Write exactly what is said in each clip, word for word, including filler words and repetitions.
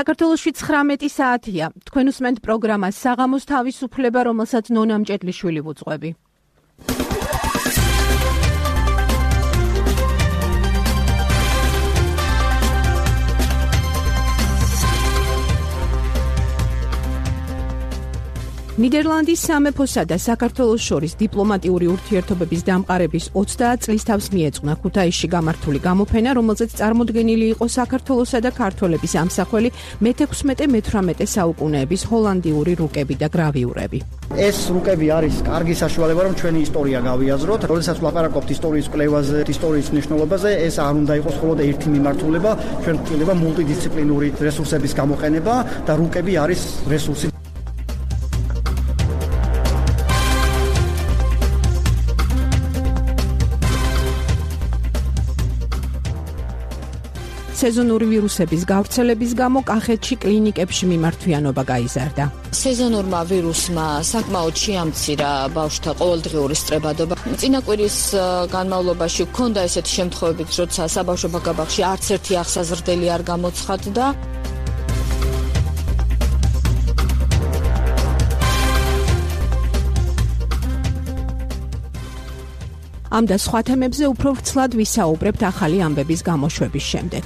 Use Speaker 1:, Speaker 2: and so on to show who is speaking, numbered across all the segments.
Speaker 1: საქართველოში ცხრამეტი საათია. თქვენ უსმენთ პროგრამას საღამოს თავისუფლება, რომელსაც ნონა მჭედლიშვილი ვუძღვები. ნიდერლანდის სამეფოსა და საქართველოს შორის დიპლომატიური ურთიერთობების დამყარების ოცდაათ წლის თავს მიეძღვნა ქუთაისში გამართული გამოფენა, რომელზეც წარმოდგენილი იყო საქართველოსა და ქართველების ამსახველი მეთექვსმეტე მეთვრამეტე საუკუნეების ჰოლანდიური რუკები და გრავიურები.
Speaker 2: ეს რუკები არის კარგი საშუალება, რომ ჩვენი ისტორია გავიაზროთ. როდესაც ვლაპარაკობთ ისტორიის კვლევაზე, ისტორიის მნიშვნელობაზე, ეს არ უნდა იყოს მხოლოდ ერთი მიმართულება, ჩვენ გვჭირდება მულტიდისციპლინური რესურსების გამოყენება და რუკები არის რესურსი. სეზონური ვირუსების გავრცელების გამო კახეთში კლინიკებში მიმართვიანობა გაიზარდა.
Speaker 3: სეზონურმა ვირუსმა საკმაოდ შეამცირა ბავშვთა ყოველდღიური სწრებადობა. წინა კვირის განმავლობაში ჰქონდა ესეთი შემთხვევები, როცა საბავშვო ბაგაბაღში არც ერთი ახსაზრდელი არ გამოცხადდა.
Speaker 1: ამ და სხვა თემებზე უფრო ვრცლად ვისაუბრებთ ახალი ამბების გამოშვების შემდეგ.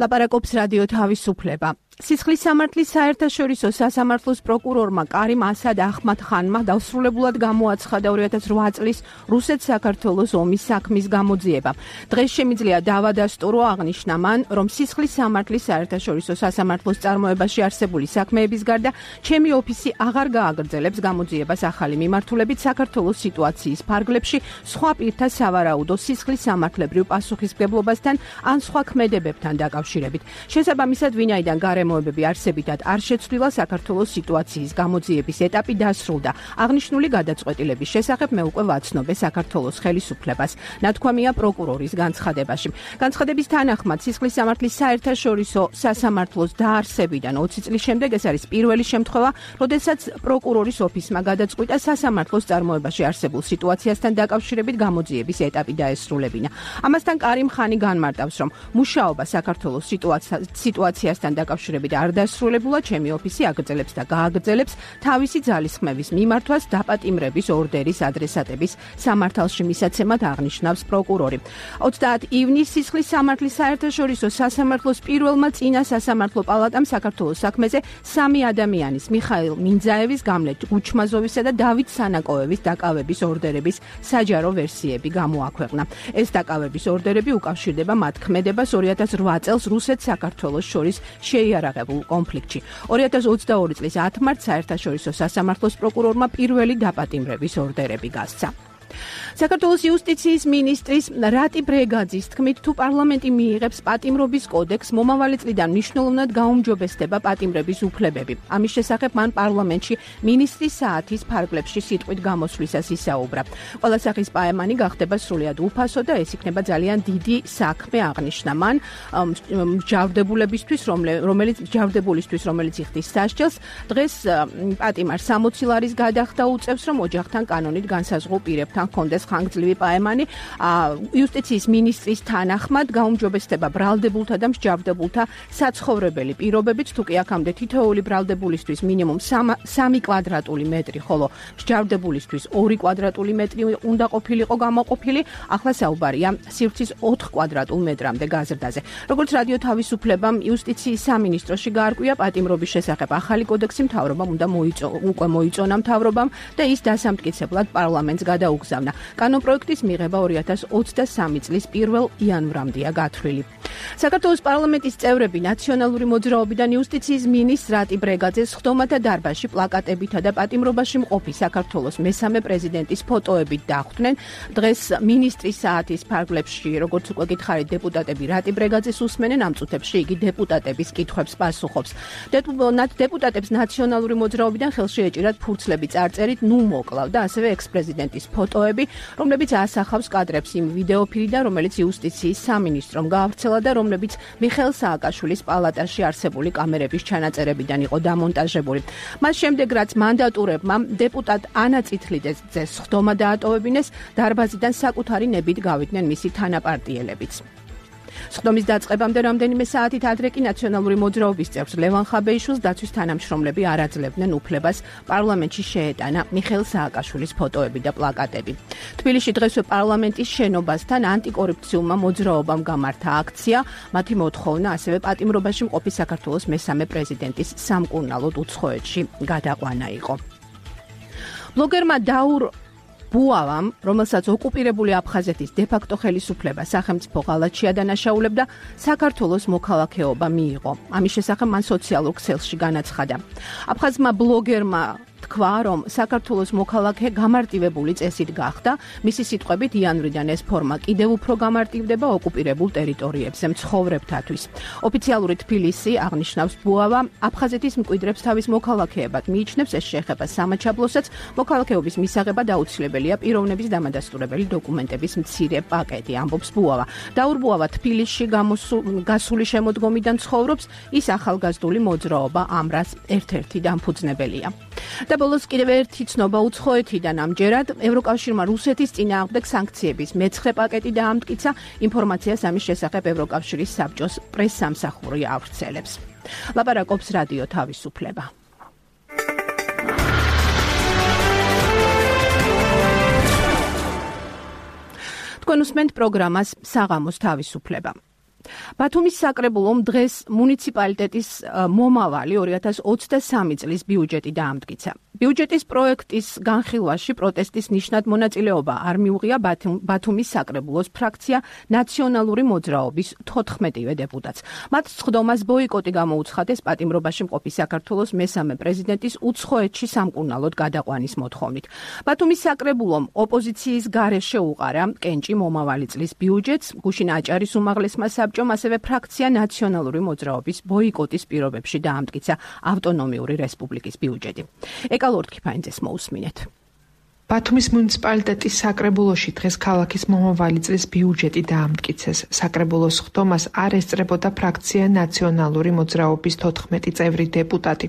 Speaker 1: ლაპარაკობს რადიო თავისუფლება. სისხლის სამართლის საერთაშორისო სასამართლოს პროკურორმა კარიმ ასად ახმად-ხანმა დასრულებულად გამოაცხადა ორი ათას რვა წლის რუსეთ-საქართველოს ომის საქმის გამოძიება. დღეს შემიძლია დავადასტურო, აღნიშნა მან, რომ სისხლის სამართლის საერთაშორისო სასამართლოს წარმოებაში არსებული საქმეების გარდა ჩემი ოფისი აღარ გააგრძელებს გამოძიებას ახალი მიმართულებით საქართველოს სიტუაციის ფარგლებში სხვა პირთა სავარაუდო სისხლის სამართლებრივ პასუხისმგებლობასთან ან სხვა ქმედებებთან დაკავშირებით. შესაბამისად, ვინაიდან გარემოებები არსებითად არ შეცვლილა, საქართველოს სიტუაციის გამოძიების ეტაპი დასრულდა. აღნიშნული გადაწყვეტილების შესახებ მე უკვე ვაცნობე საქართველოს ხელისუფლებას. ნათქვამია პროკურორის განცხადებაში. განცხადების თანახმად, სისხლის სამართლის საერთაშორისო სასამართლოს დაარსებიდან ოცი წლის შემდეგ ეს არის პირველი შემთხვევა, როდესაც პროკურორის ოფისმა გადაწყვიტა სასამართლოს წარმოებაში არსებულ სიტუაციასთან დაკავშირებით გამოძიების ეტაპი დაესრულებინა. ამასთან კარიმ ხანი განმარტავს, რომ მუშაობა საქართველოს სიტუაციასთან დაკავშირებით არ დასრულებულა, ჩემი ოფისი აგრძელებს და გააგრძელებს თავისი ძალისხმევის მიმართვას დაპატიმრების ორდერის ადრესატების სამართალში მისაცემად, აღნიშნავს პროკურორი. ოცდაათ ივნისს სისხლის სამართლის საერთაშორისო სასამართლოს პირველმა წინა სასამართლო პალატამ საქართველოს საქმეზე სამი ადამიანის, მიხაილ მინძაევის, გამლე გუჩმაზოვისა და დავით სანაკოევის დაკავების ორდერების საჯარო ვერსიები გამოაქვეყნა. ეს დაკავების ორდერები უკავშირდება მათ ქმედებას ორი ათას რვა წელს რუსეთ-საქართველოს შორის შეიარაღებულ კონფლიქტში. ორი ათას ოცდაორი წლის ათ მარტს საერთაშორისო სასამართლოს პროკურორმა პირველი დაპატიმრების ორდერები გასცა. საქართველოს იუსტიციის მინისტრის რატი ბრეგაძის თქმით, თუ პარლამენტი მიიღებს პატიმრობის კოდექსს, მომავალი წლიდან მნიშვნელოვნად გაუმჯობესდება პატიმრების უფლებები. ამის შესახებ მან პარლამენტში მინისტრის საათის ფარგლებში სიტყვით გამოსვლისას ისაუბრა. ყველა სახის პაემანი გახდება სრულიად უფასო და ეს იქნება ძალიან დიდი საქმე, აღნიშნა მან, მსჯავრდებულებისთვის, რომელიც მსჯავრდებულისთვის, რომელიც იხდის სასჯელს, დღეს პატიმარს სამოცი ლარის გადახდა უწევს, რომ ოჯახთან კანონით განსაზღვრულ პირებთან კონდეს ხანგრძლივი პაემანი. იუსტიციის მინისტრის თანახმად გაუმჯობესდება ბრალდებულთა და მსჯავრდებულთა საცხოვრებელი პირობებით, თუ კი აქამდე თითოეული ბრალდებულისთვის მინიმუმ სამი კვადრატული მეტრი, ხოლო მსჯავრდებულისთვის ორი კვადრატული მეტრი უნდა ყოფილიყო გამოყოფილი, ახლა საუბარია სივრცის ოთხ კვადრატულ მეტრამდე გაზრდაზე. როგორც რადიო თავისუფლებამ იუსტიციის სამინისტროში გაარკვია, პატიმრობის შესახებ ახალი კოდექსი მთავრობამ უნდა უკვე მოიწონა მთავრობამ და ის დასამტკიცებლად პარლამენტს გადაუგზავნა. კანონპროექტის მიღება ორი ათას ოცდასამი წლის პირველ იანვრამდეა გათვლილი. საქართველოს პარლამენტის წევრები ნაციონალური მოძრაობიდან იუსტიციის მინისტრ რატი ბრეგაძეს ხდომათა დარბაზში პლაკატებითა და პატიმრობაში მყოფი საქართველოს მესამე პრეზიდენტის ფოტოებით დახვდნენ. დღეს მინისტრის საათის ფარგლებში, როგორც უკვე გითხარით, დეპუტატები რატი ბრეგაძეს უსმენენ, ამ წუთებში იგი დეპუტატების კითხვებს პასუხობს. დეპუტატებს ნაციონალური მოძრაობიდან ხელში ეჭირათ ფურცლები წარწერით ნუ მოკლავ და ასევე ექს-პრეზიდენტის ფოტოები, რომლებიც ასახავს კადრებს იმ ვიდეოფილიდან, რომელიც იუსტიციის სამინისტრომ გაავრცელა და რომლებიც მიხეილ სააკაშვილის პალატაში არსებული კამერების ჩანაწერებიდან იყო დამონტაჟებული. მას შემდეგ, რაც მანდატურებმა დეპუტატ ანა წითლიძეს სხდომა დაატოვებინეს, დარბაზიდან საკუთარი ნებით გავიდნენ მისი თანაპარტიელებიც. სხდომის დაწყებამდე რამდენიმე საათით ადრე კი ნაციონალური მოძრაობის წევრს ლევან ხაბეიშვილს დაცვის თანამშრომლები არ აძლევდნენ უფლებას პარლამენტში შეეტანა მიხეილ სააკაშვილის ფოტოები და პლაკატები. თბილისში დღესვე პარლამენტის შენობასთან ანტიკორუფციულმა მოძრაობამ გამართა აქცია, მათი მოთხოვნა ასევე პატიმრობაში მყოფი საქართველოს მესამე პრეზიდენტის სამკურნალოდ უცხოეთში გადაყვანა იყო. ბლოგერმა დაურ ბუავამ, რომელსაც ოკუპირებული აფხაზეთის დე-ფაქტო ხელისუფლება სახელმწიფო ღალატში ადანაშაულებდა, საქართველოს მოქალაქეობა მიიღო. ამის შესახებ მან სოციალურ ქსელში განაცხადა. აფხაზმა ბლოგერმა თქვა, რომ საქართველოს მოქალაქე გამარტივებული წესით გახდა, მისი სიტყვებით იანვრიდან ეს ფორმა კიდევ უფრო გამარტივდება ოკუპირებულ ტერიტორიებზე მცხოვრებთათვის. ოფიციალური თბილისი აღნიშნავს ბუავა, აფხაზეთის მკვიდრებს თავის მოქალაქეებად მიიჩნევს, ეს შეეხება სამაჩაბლოსაც, მოქალაქეობის მისაღებად აუცილებელია პიროვნების დამადასტურებელი დოკუმენტების მცირე პაკეტი, ამბობს ბუავა. დაურ ბუავა თბილისში გასული შემოდგომიდან ცხოვრობს, ის ახალგაზრდული მოძრაობა ამრას ერთ-ერთი დამფუძნებელია. და ბოლოს კიდევ ერთი ცნობა უცხოეთიდან ამჯერად ევროკავშირმა რუსეთის წინააღმდეგ სანქციების მეცხრე პაკეტი დაამტკიცა, ინფორმაციას ამის შესახებ ევროკავშირის საბჭოს პრესსამსახური ავრცელებს. ლაპარაკობს რადიო თავისუფლება. თქვენ უსმენთ პროგრამას საღამოს თავისუფლება. ბათუმის საკრებულომ დღეს მუნიციპალიტეტის მომავალი ორი ათას ოცდასამი წლის ბიუჯეტი დაამტკიცა. ბიუჯეტის პროექტის განხილვაში პროტესტის ნიშნად მონაწილეობა არ მიუღია ბათუმის საკრებულოს ფრაქცია ნაციონალური მოძრაობის თოთხმეტივე დეპუტატს. მათ სხდომას ბოიკოტი გამოუცხადეს პატიმრობაში მყოფი საქართველოს მესამე პრეზიდენტის უცხოეთში სამკურნალოდ გადაყვანის მოთხოვნით. ბათუმის საკრებულომ ოპოზიციის გარეშე უყარა კენჭი მომავალი წლის ბიუჯეტს, გუშინ აჭარის უმაღლესმა საბჭომ ასევე ფრაქცია ნაციონალური მოძრაობის ბოიკოტის პირობებში დაამტკიცა ავტონომიური რესპუბლიკის ბიუჯეტი. ეკალორთქიფაინძეს მოусმინეთ.
Speaker 4: ბათუმის მუნიციპალიტეტის საკრებულოში დღეს ქალაქის მომავალი წლის ბიუჯეტი დაამტკიცეს. საკრებულოს სხდომას არ ესწრებოდა ფრაქცია ნაციონალური მოძრაობის თოთხმეტი წევრი დეპუტატი.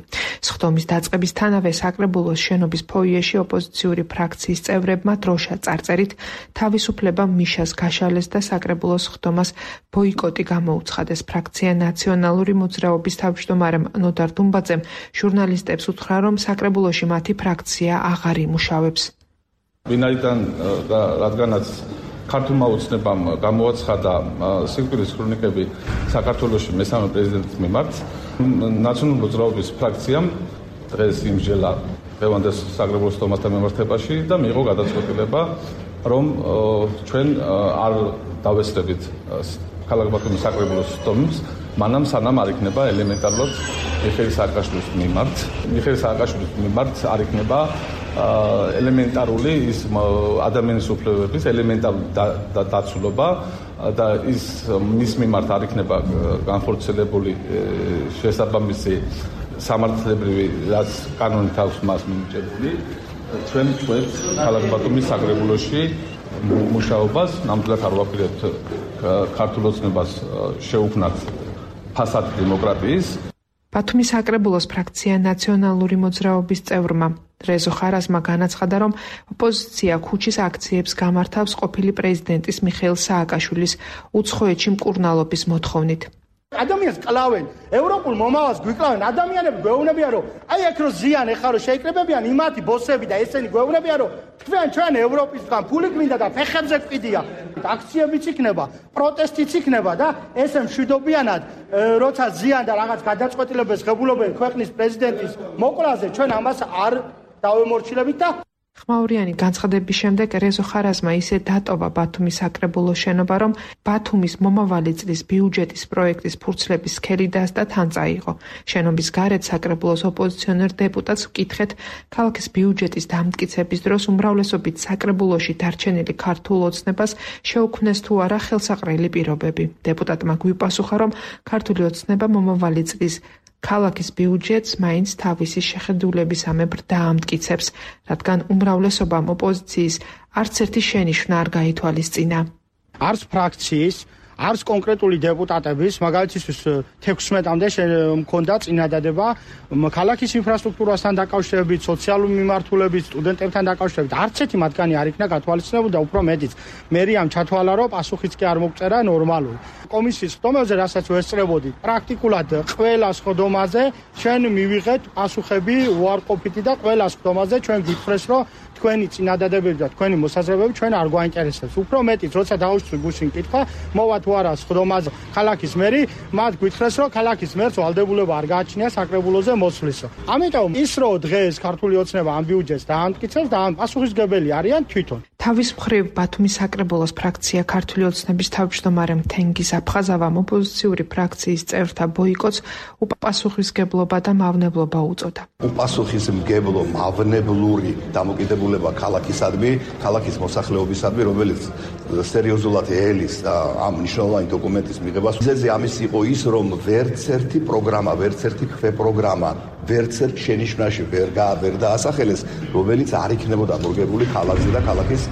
Speaker 4: სხდომის დაწყებისთანავე საკრებულოს შენობის ფოიეში ოპოზიციური ფრაქციის წევრებმა დროშა წარწერით თავისუფლება მიშას გაშალეს და საკრებულოს სხდომას ბოიკოტი გამოუცხადეს. ფრაქცია ნაციონალური მოძრაობის თავმჯდომარემ ნოდარ დუმბაძემ ჟურნალისტებს უთხრა, რომ საკრებულოში მათი ფრაქცია აღარ იმუშავებს.
Speaker 5: ვინაიდან და რადგანაც ქართულმა ოცნებამ გამოაცხადა სიკვდილის ქრონიკები საქართველოში მესამე პრეზიდენტის მიმართ, ნაციონალური მოძრაობის ფრაქციამ დღეს იმსჯელა დღევანდელ საკრებულოს სხდომასთან მიმართებაში და მიიღო გადაწყვეტილება, რომ ჩვენ არ დავესწრებით ქალაქ ბათუმის საკრებულოს სხდომებს, მანამ სანამ არ იქნება ელემენტარულად მიხეილ სააკაშვილის მიმართ. მიხეილ სააკაშვილის მიმართ არ იქნება ელემენტარული ის ადამიანის უფლებების ელემენტარული დაცულობა და ის მის მიმართ არ იქნება განხორციელებული შესაბამისი სამართლებრივი რაც კანონით აქვს მას მინიჭებული. ჩვენ ვწვევთ ქალაქ ბათუმის საკრებულოში მუშაობას, ნამდვილად არ ვაპირებთ ქართულ ოცნებას შეუქმნათ ფასადი დემოკრატიის.
Speaker 4: ბათუმის საკრებულოს ფრაქცია ნაციონალური მოძრაობის წევრმა რეზო ხარაზმა განაცხადა, რომ ოპოზიცია ქუჩის აქციებს გამართავს ყოფილი პრეზიდენტის მიხეილ სააკაშვილის უცხოეთში მკურნალობის მოთხოვნით.
Speaker 2: ადამიანს კლავენ, ევროპულ მომავალს გვიკლავენ, ადამიანები გვეუბნებიან, რომ აი აქ რო ზიან ეხლა რო შეიკრებებიან იმათი ბოსები და ესენი გვეუბნებიან, რომ თქვენ ჩვენ ევროპისგან ფული გვინდა და ფეხებზე გვყიდია. აქციებიც იქნება, პროტესტიც იქნება და ესე მშვიდობიანად, როცა ზიან და რაღაც გადაწყვეტილებას ღებულობენ ქვეყნის პრეზიდენტის მოკვლაზე, ჩვენ ამას არ დავემორჩილებით და
Speaker 4: ხმაურიანი განცხადების შემდეგ რეზო ხარაზმა ისე დატოვა ბათუმის საკრებულოს შენობა, რომ ბათუმის მომავალი წლის ბიუჯეტის პროექტის ფურცლების სქელი დასდა თან წაიღო. შენობის გარეთ საკრებულოს ოპოზიციონერ დეპუტატს ვკითხეთ, ქალაქის ბიუჯეტის დამტკიცების დროს უმრავლესობით საკრებულოში დარჩენილი ქართულ ოცნებას შეუქმნეს თუ არა ხელსაყრელი პირობები. დეპუტატმა გვიპასუხა, რომ ქართული ოცნება მომავალი წლის ქალაქის ბიუჯეტს მაინც თავისი შეხედულებისამებრ დაამტკიცებს, რადგან უმრავლესობამ ოპოზიციის არც ერთი შენიშვნა არ გაითვალისწინა.
Speaker 2: არც ფრაქციის, არც კონკრეტული დეპუტატების, მაგალითისთვის თექვსმეტამდე მქონდა წინადადება ქალაქის ინფრასტრუქტურასთან დაკავშირებით, სოციალურ მიმართულებით, სტუდენტებთან დაკავშირებით. არც ერთი მათგანი არ იქნა გათვალისწინებული და უფრო მეტიც. მერიამ ჩათვალა, რომ პასუხიც კი არ მოგწერა ნორმალური. კომისიის ხდომაზე, რასაც ვესწრებოდი, პრაქტიკულად ყველა ხდომაზე ჩვენ მივიღეთ პასუხები უარყოფითი და ყველა ხდომაზე ჩვენ გითხრეს, რომ თქვენი წინადადებები და თქვენი მოსაზრებები ჩვენ არ გვაინტერესებს. უფრო მეტიც, როცა დაუშვი გუშინ კითხვა, მოვა თუ არა ხდომაზე ქალაქის მერი, მათ გითხრეს, რომ ქალაქის მერს ვალდებულება არ გააჩნია საკრებულოზე მოსვლისო. ამიტომ ის რო დღეს ქართული ოცნება ამ ბიუჯეტს დაამტკიცებს და ამ პასუხისგებელი არიან თვითონ.
Speaker 4: თავის მხრივ ბათუმის საკრებულოს ფრაქცია ქართული ოცნების თავმჯდომარე თენგიზ აფხაზავამ ოპოზიციური ფრაქციის წევრთა ბოიკოტს უპასუხისმგებლობა და მავნებლობა უწოდა.
Speaker 6: უპასუხისმგებლო მავნებლური დამოკიდებულება ქალაქისადმი, ქალაქის მოსახლეობისადმი, რომელიც სერიოზულად ელის ამ მნიშვნელოვანი დოკუმენტის მიღებას. მიზეზი ამის იყო ის, რომ ვერც ერთი პროგრამა, ვერც ერთი ქვე პროგრამა, ვერც ერთ შენიშვნაში ვერ ვერ დაასახელეს, რომელიც არ იქნებოდა მორგებული ქალაქზე და ქალაქის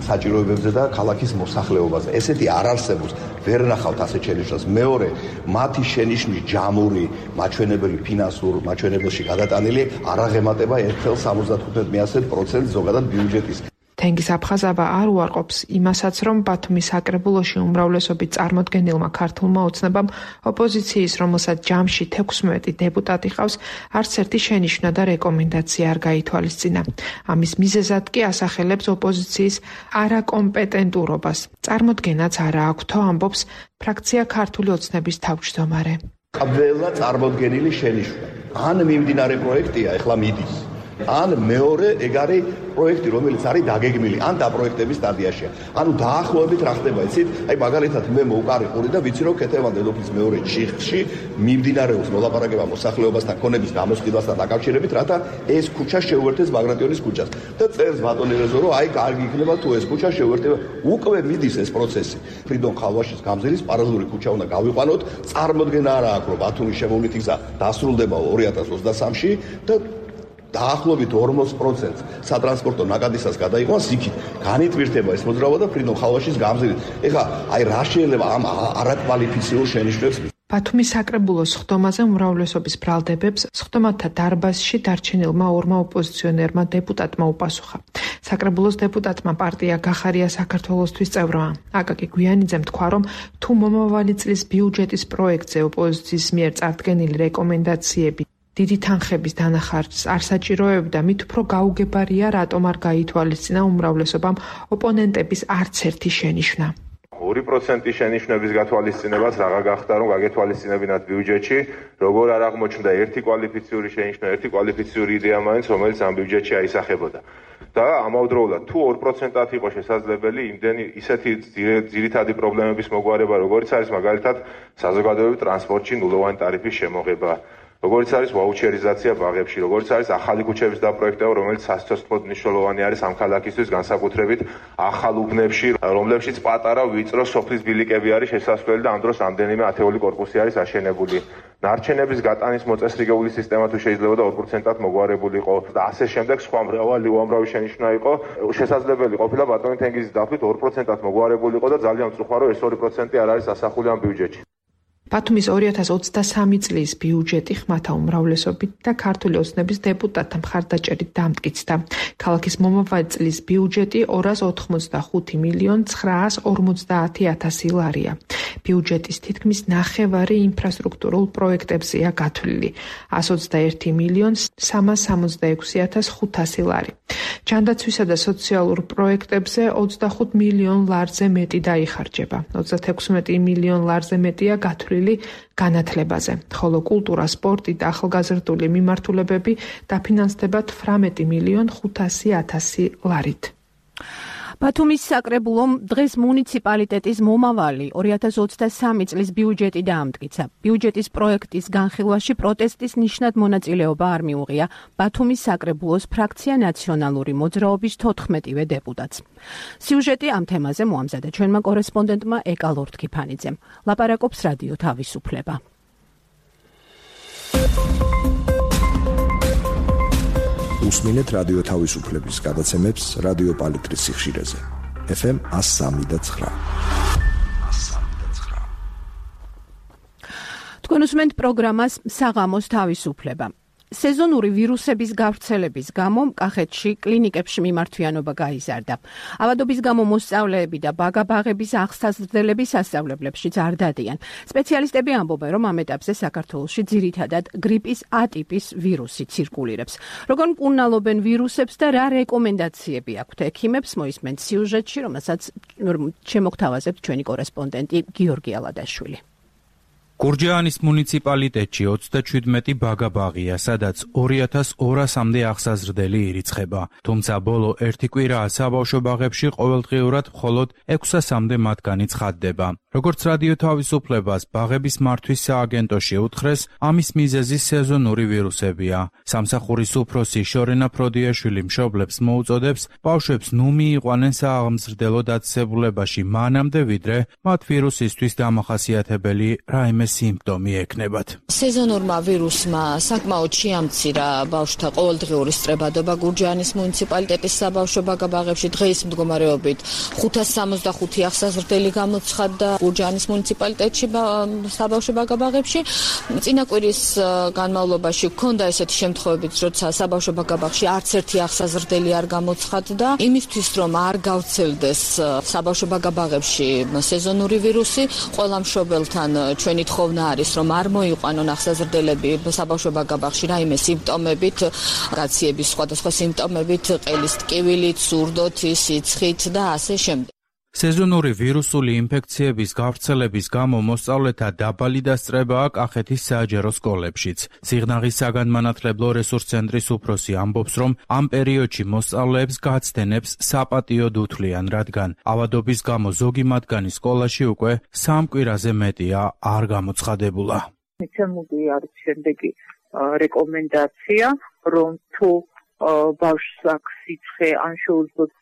Speaker 6: საჭიროებებზე და ქალაქის მოსახლეობაზე. ესეთი არ არსებობს, ვერ ნახავთ ასეთ შენიშვნას. მეორე, მათი შენიშვნის ჯამური, მაჩვენებელი ფინანსურ მაჩვენებელში გადატანილი არ აღემატება ერთ ხელ სამოცდათხუთმეტ პროცენტს ზოგადად ბიუჯეტის.
Speaker 4: თენგიზ აფხაზავა არ უარყოფს იმასაც, რომ ბათუმის საკრებულოში უმრავლესობით წარმოდგენილმა ქართულმა ოცნებამ ოპოზიციის, რომელსაც ჯამში თექვსმეტი დეპუტატი ყავს, არც ერთი შენიშვნა და რეკომენდაცია არ გაითვალისწინა. ამის მიზეზად კი ასახელებს ოპოზიციის არაკომპეტენტურობას. წარმოდგენაც არა აქვთო, ამბობს ფრაქცია ქართული ოცნების თავმჯდომარე.
Speaker 6: ყველა წარმოდგენილი შენიშვნა ან მიმდინარე პროექტია, ეხლა მიდის. ან მეორე ეგ არის პროექტი, რომელიც არის დაგეგმილი, ან დაპროექტების სტადიაშია. ანუ დაახლოებით რა ხდება, იცით? აი მაგალითად მე მოვყარი ყური და ვიცი, რომ ქეთევან დედოფლის მეორე ჩიხში მიმდინარეობს მოლაპარაკება მოსახლეობასთან ქონების გამოსყიდვასთან დაკავშირებით, რათა ეს ქუჩა შეუერთდეს ბაგრატიონის ქუჩას. და წერს ბატონი რეზო, რომ აი კარგი იქნება თუ ეს ქუჩა შეუერთება. უკვე მიდის ეს პროცესი. ფრიდონ ხალვაშის გამზირის პარალელური ქუჩა უნდა გავიყვანოთ. წარმოდგენა არა აქვს, რომ ბათუმის შემოვლითი გზა დასრულდება ორი ათას ოცდასამში და დაახლოებით ორმოც პროცენტს სატრანსპორტო ნაკადისას გადაიყვანს იქით. განიტვირთება ეს მოძრაობა და ფრიდონ ხალვაშის გამზირით. ეხლა აი რა შეიძლება ამ არაკვალიფიციურ შენიშვნებს.
Speaker 4: ბათუმის საკრებულოს ხდომაზე უმრავლესობის ბრალდებებს სხდომათა დარბაზში დარჩენილმა ორმა ოპოზიციონერმა დეპუტატმა უპასუხა. საკრებულოს დეპუტატმა პარტია გახარია საქართველოსთვის წევრმა აკაკი გვიანიძემ თქვა, რომ თუ მომავალი წლის ბიუჯეტის პროექტზე ოპოზიციის მიერ წარდგენილი რეკომენდაციები დიდი თანხების დანახარჯს არ საჭიროებდა, მით უფრო გაუგებარია, რატომ არ გაითვალისწინა უმრავლესობამ ოპონენტების არც ერთი შენიშვნა.
Speaker 7: ორი პროცენტი შენიშვნების გათვალისწინებაც რაღა გახდა, რომ გაგეთვალისწინებინათ ბიუჯეტში, როგორ არ აღმოჩნდა ერთი კვალიფიციური შენიშვნა, ერთი კვალიფიციური იდეა მაინც, რომელიც ამ ბიუჯეტში აისახებოდა. და ამავდროულად თუ ორ პროცენტად იყო შესაძლებელი იმდენი ისეთი ძირითადი პრობლემების მოგვარება, როგორც არის მაგალითად საზოგადოებრივ ტრანსპორტში ნულოვანი ტარიფის შემოღება, როგორც არის ვაუჩერიზაცია ბაღებში, როგორც არის ახალი ქუჩების დაპროექტება, რომელიც სასიცოცხლოდ მნიშვნელოვანი არის ამ ქალაქისთვის, განსაკუთრებით ახალ უბნებში, რომლებშიც პატარა ვიწრო სოფლის ბილიკები არის შესასვლელი და ამ დროს რამდენიმე ათეული კორპუსი არის აშენებული. ნარჩენების გატანის მოწესრიგებული სისტემა თუ შეიძლება და ორ პროცენტად მოგვარებული იყო და ასე შემდეგ სხვა მრავალი უამრავი შენიშვნა იყო, შესაძლებელი ყოფილა ბატონი თენგიზის დაფით ორ პროცენტად მოგვარებული იყო და ძალიან მწუხარო ეს ორი პროცენტი არ არის ასახული ამ ბიუჯეტში.
Speaker 4: ბათუმის ორი ათას ოცდასამი წლის ბიუჯეტი ხმათა უმრავლესობით და ქართული ოცნების დეპუტატთა მხარდაჭერით დამტკიცდა. ქალაქის მომავალი წლის ბიუჯეტი ორას ოთხმოცდახუთი მილიონ ცხრაას ორმოცდაათი ათასი ლარია. ბიუჯეტის თითქმის ნახევარი ინფრასტრუქტურულ პროექტებზეა გათვლილი. ასი ოცდაერთი მილიონ სამას სამოცდაექვსი ათას ხუთასი ლარი. ჯანდაცვისა და სოციალურ პროექტებზე ოცდახუთ მილიონ ლარზე მეტი დაიხარჯება. ოცდათექვსმეტი მილიონ ლარზე მეტია გათვლილი განათლებაზე, ხოლო კულტურა, სპორტი და ახალგაზრდული მიმართულებები დაფინანსდება თვრამეტი მილიონ ხუთასი ათასი ლარით.
Speaker 1: ბათუმის საკრებულომ დღეს მუნიციპალიტეტის მომავალი ორი ათას ოცდასამი წლის ბიუჯეტი დაამტკიცა. ბიუჯეტის პროექტის განხილვაში პროტესტის ნიშნად მონაწილეობა არ მიუღია ბათუმის საკრებულოს ფრაქცია ნაციონალური მოძრაობის თოთხმეტივე დეპუტატს. სიუჟეტი ამ თემაზე მოამზადა ჩვენმა კორესპონდენტმა ეკა ლორთქიფანიძემ. ლაპარაკობს რადიო თავისუფლება.
Speaker 8: უსმინეთ რადიო თავისუფლების გადაცემებს რადიო პალიტრის სიხშირეზე. ეფ ემ one oh three და nine.
Speaker 1: თქვენ უსმენთ პროგრამას საღამოს თავისუფლება. სეზონური ვირუსების გავრცელების გამო კახეთში კლინიკებში მიმართვიანობა გაიზარდა. ავადობის გამო მოსწავლეები და ბაგა-ბაღების აღსაზრდელები სასწავლებლებშიც არ დადიან. სპეციალისტები ამბობენ, რომ ამ ეტაპზე საქართველოში ძირითადად გრიპის A ტიპის ვირუსი ცირკულირებს. როგორ მკურნალობენ ვირუსებს და რა რეკომენდაციები აქვთ ექიმებს, მოისმენთ სიუჟეტში, რომელსაც შემოგთავაზებთ ჩვენი კორესპონდენტი გიორგი ალადაშვილი.
Speaker 9: გურჯაანის მუნიციპალიტეტში ოცდაჩვიდმეტი ბაგა-ბაღია, სადაც ორი ათას ორასამდე აღსაზრდელი ირიცხება. თუმცა ბოლო ერთი კვირაა საბავშვო ბაღებში ყოველდღიურად მხოლოდ ექვსასამდე მათგანი ცხადდება. როგორც რადიო თავისუფლებას ბაღების მართვის სააგენტოში უთხრეს, ამის მიზეზი სეზონური ვირუსებია. სამსახურის უფროსი შორენა ფროდიაშვილი მშობლებს მოუწოდებს ბავშვებს ნუ მიიყვანენ სააღმზრდელო დაწესებულებაში მანამდე, ვიდრე მათ ვირუსისთვის დამახასიათებელი რაიმე სიმპტომი ექნებათ.
Speaker 3: სეზონურმა ვირუსმა საკმაოდ შეამცირა ბავშვთა ყოველდღიური სწრებადობა გურჯაანის მუნიციპალიტეტის საბავშვო ბაგა-ბაღებში. დღეის მდგომარეობით ხუთას სამოცდახუთი აღსაზრდელი გამოცხადდა გურჯაანის მუნიციპალიტეტში საბავშვო ბაგა-ბაღებში. წინა კვირის განმავლობაში ჰქონდა ესეთი შემთხვევები, როცა საბავშვო ბაგა-ბაღში არც ერთი აღსაზრდელი არ გამოცხადდა. იმისთვის, რომ არ გავრცელდეს საბავშვო ბაგა-ბაღებში სეზონური ვირუსი, ყველა მშობელთან ჩვენი თხოვნა არის, რომ არ მოიყვანონ აღსაზრდელები საბავშვო ბაგა-ბაღში რაიმე სიმპტომებით, გაციების სხვადასხვა სიმპტომებით, ყელის ტკივილით, სურდოთი, სიცხით და ასე შემდეგ.
Speaker 9: სეზონური ვირუსული ინფექციების გავრცელების გამო მოსწავლეთა დაბალი დასწრებაა კახეთის საჯარო სკოლებშიც. სიღნაღის საგანმანათლებლო რესურს ცენტრის უფროსი ამბობს, რომ ამ პერიოდში მოსწავლეებს გაცდენებს საპატიოდ უთვლიან, რადგან ავადობის გამო ზოგი მათგანი სკოლაში უკვე სამ კვირაზე მეტია არ გამოცხადებულა.
Speaker 10: მიცემული არის შემდეგი რეკომენდაცია, რომ თუ ბავშვს აქვს სიცხე ან შეუძლებს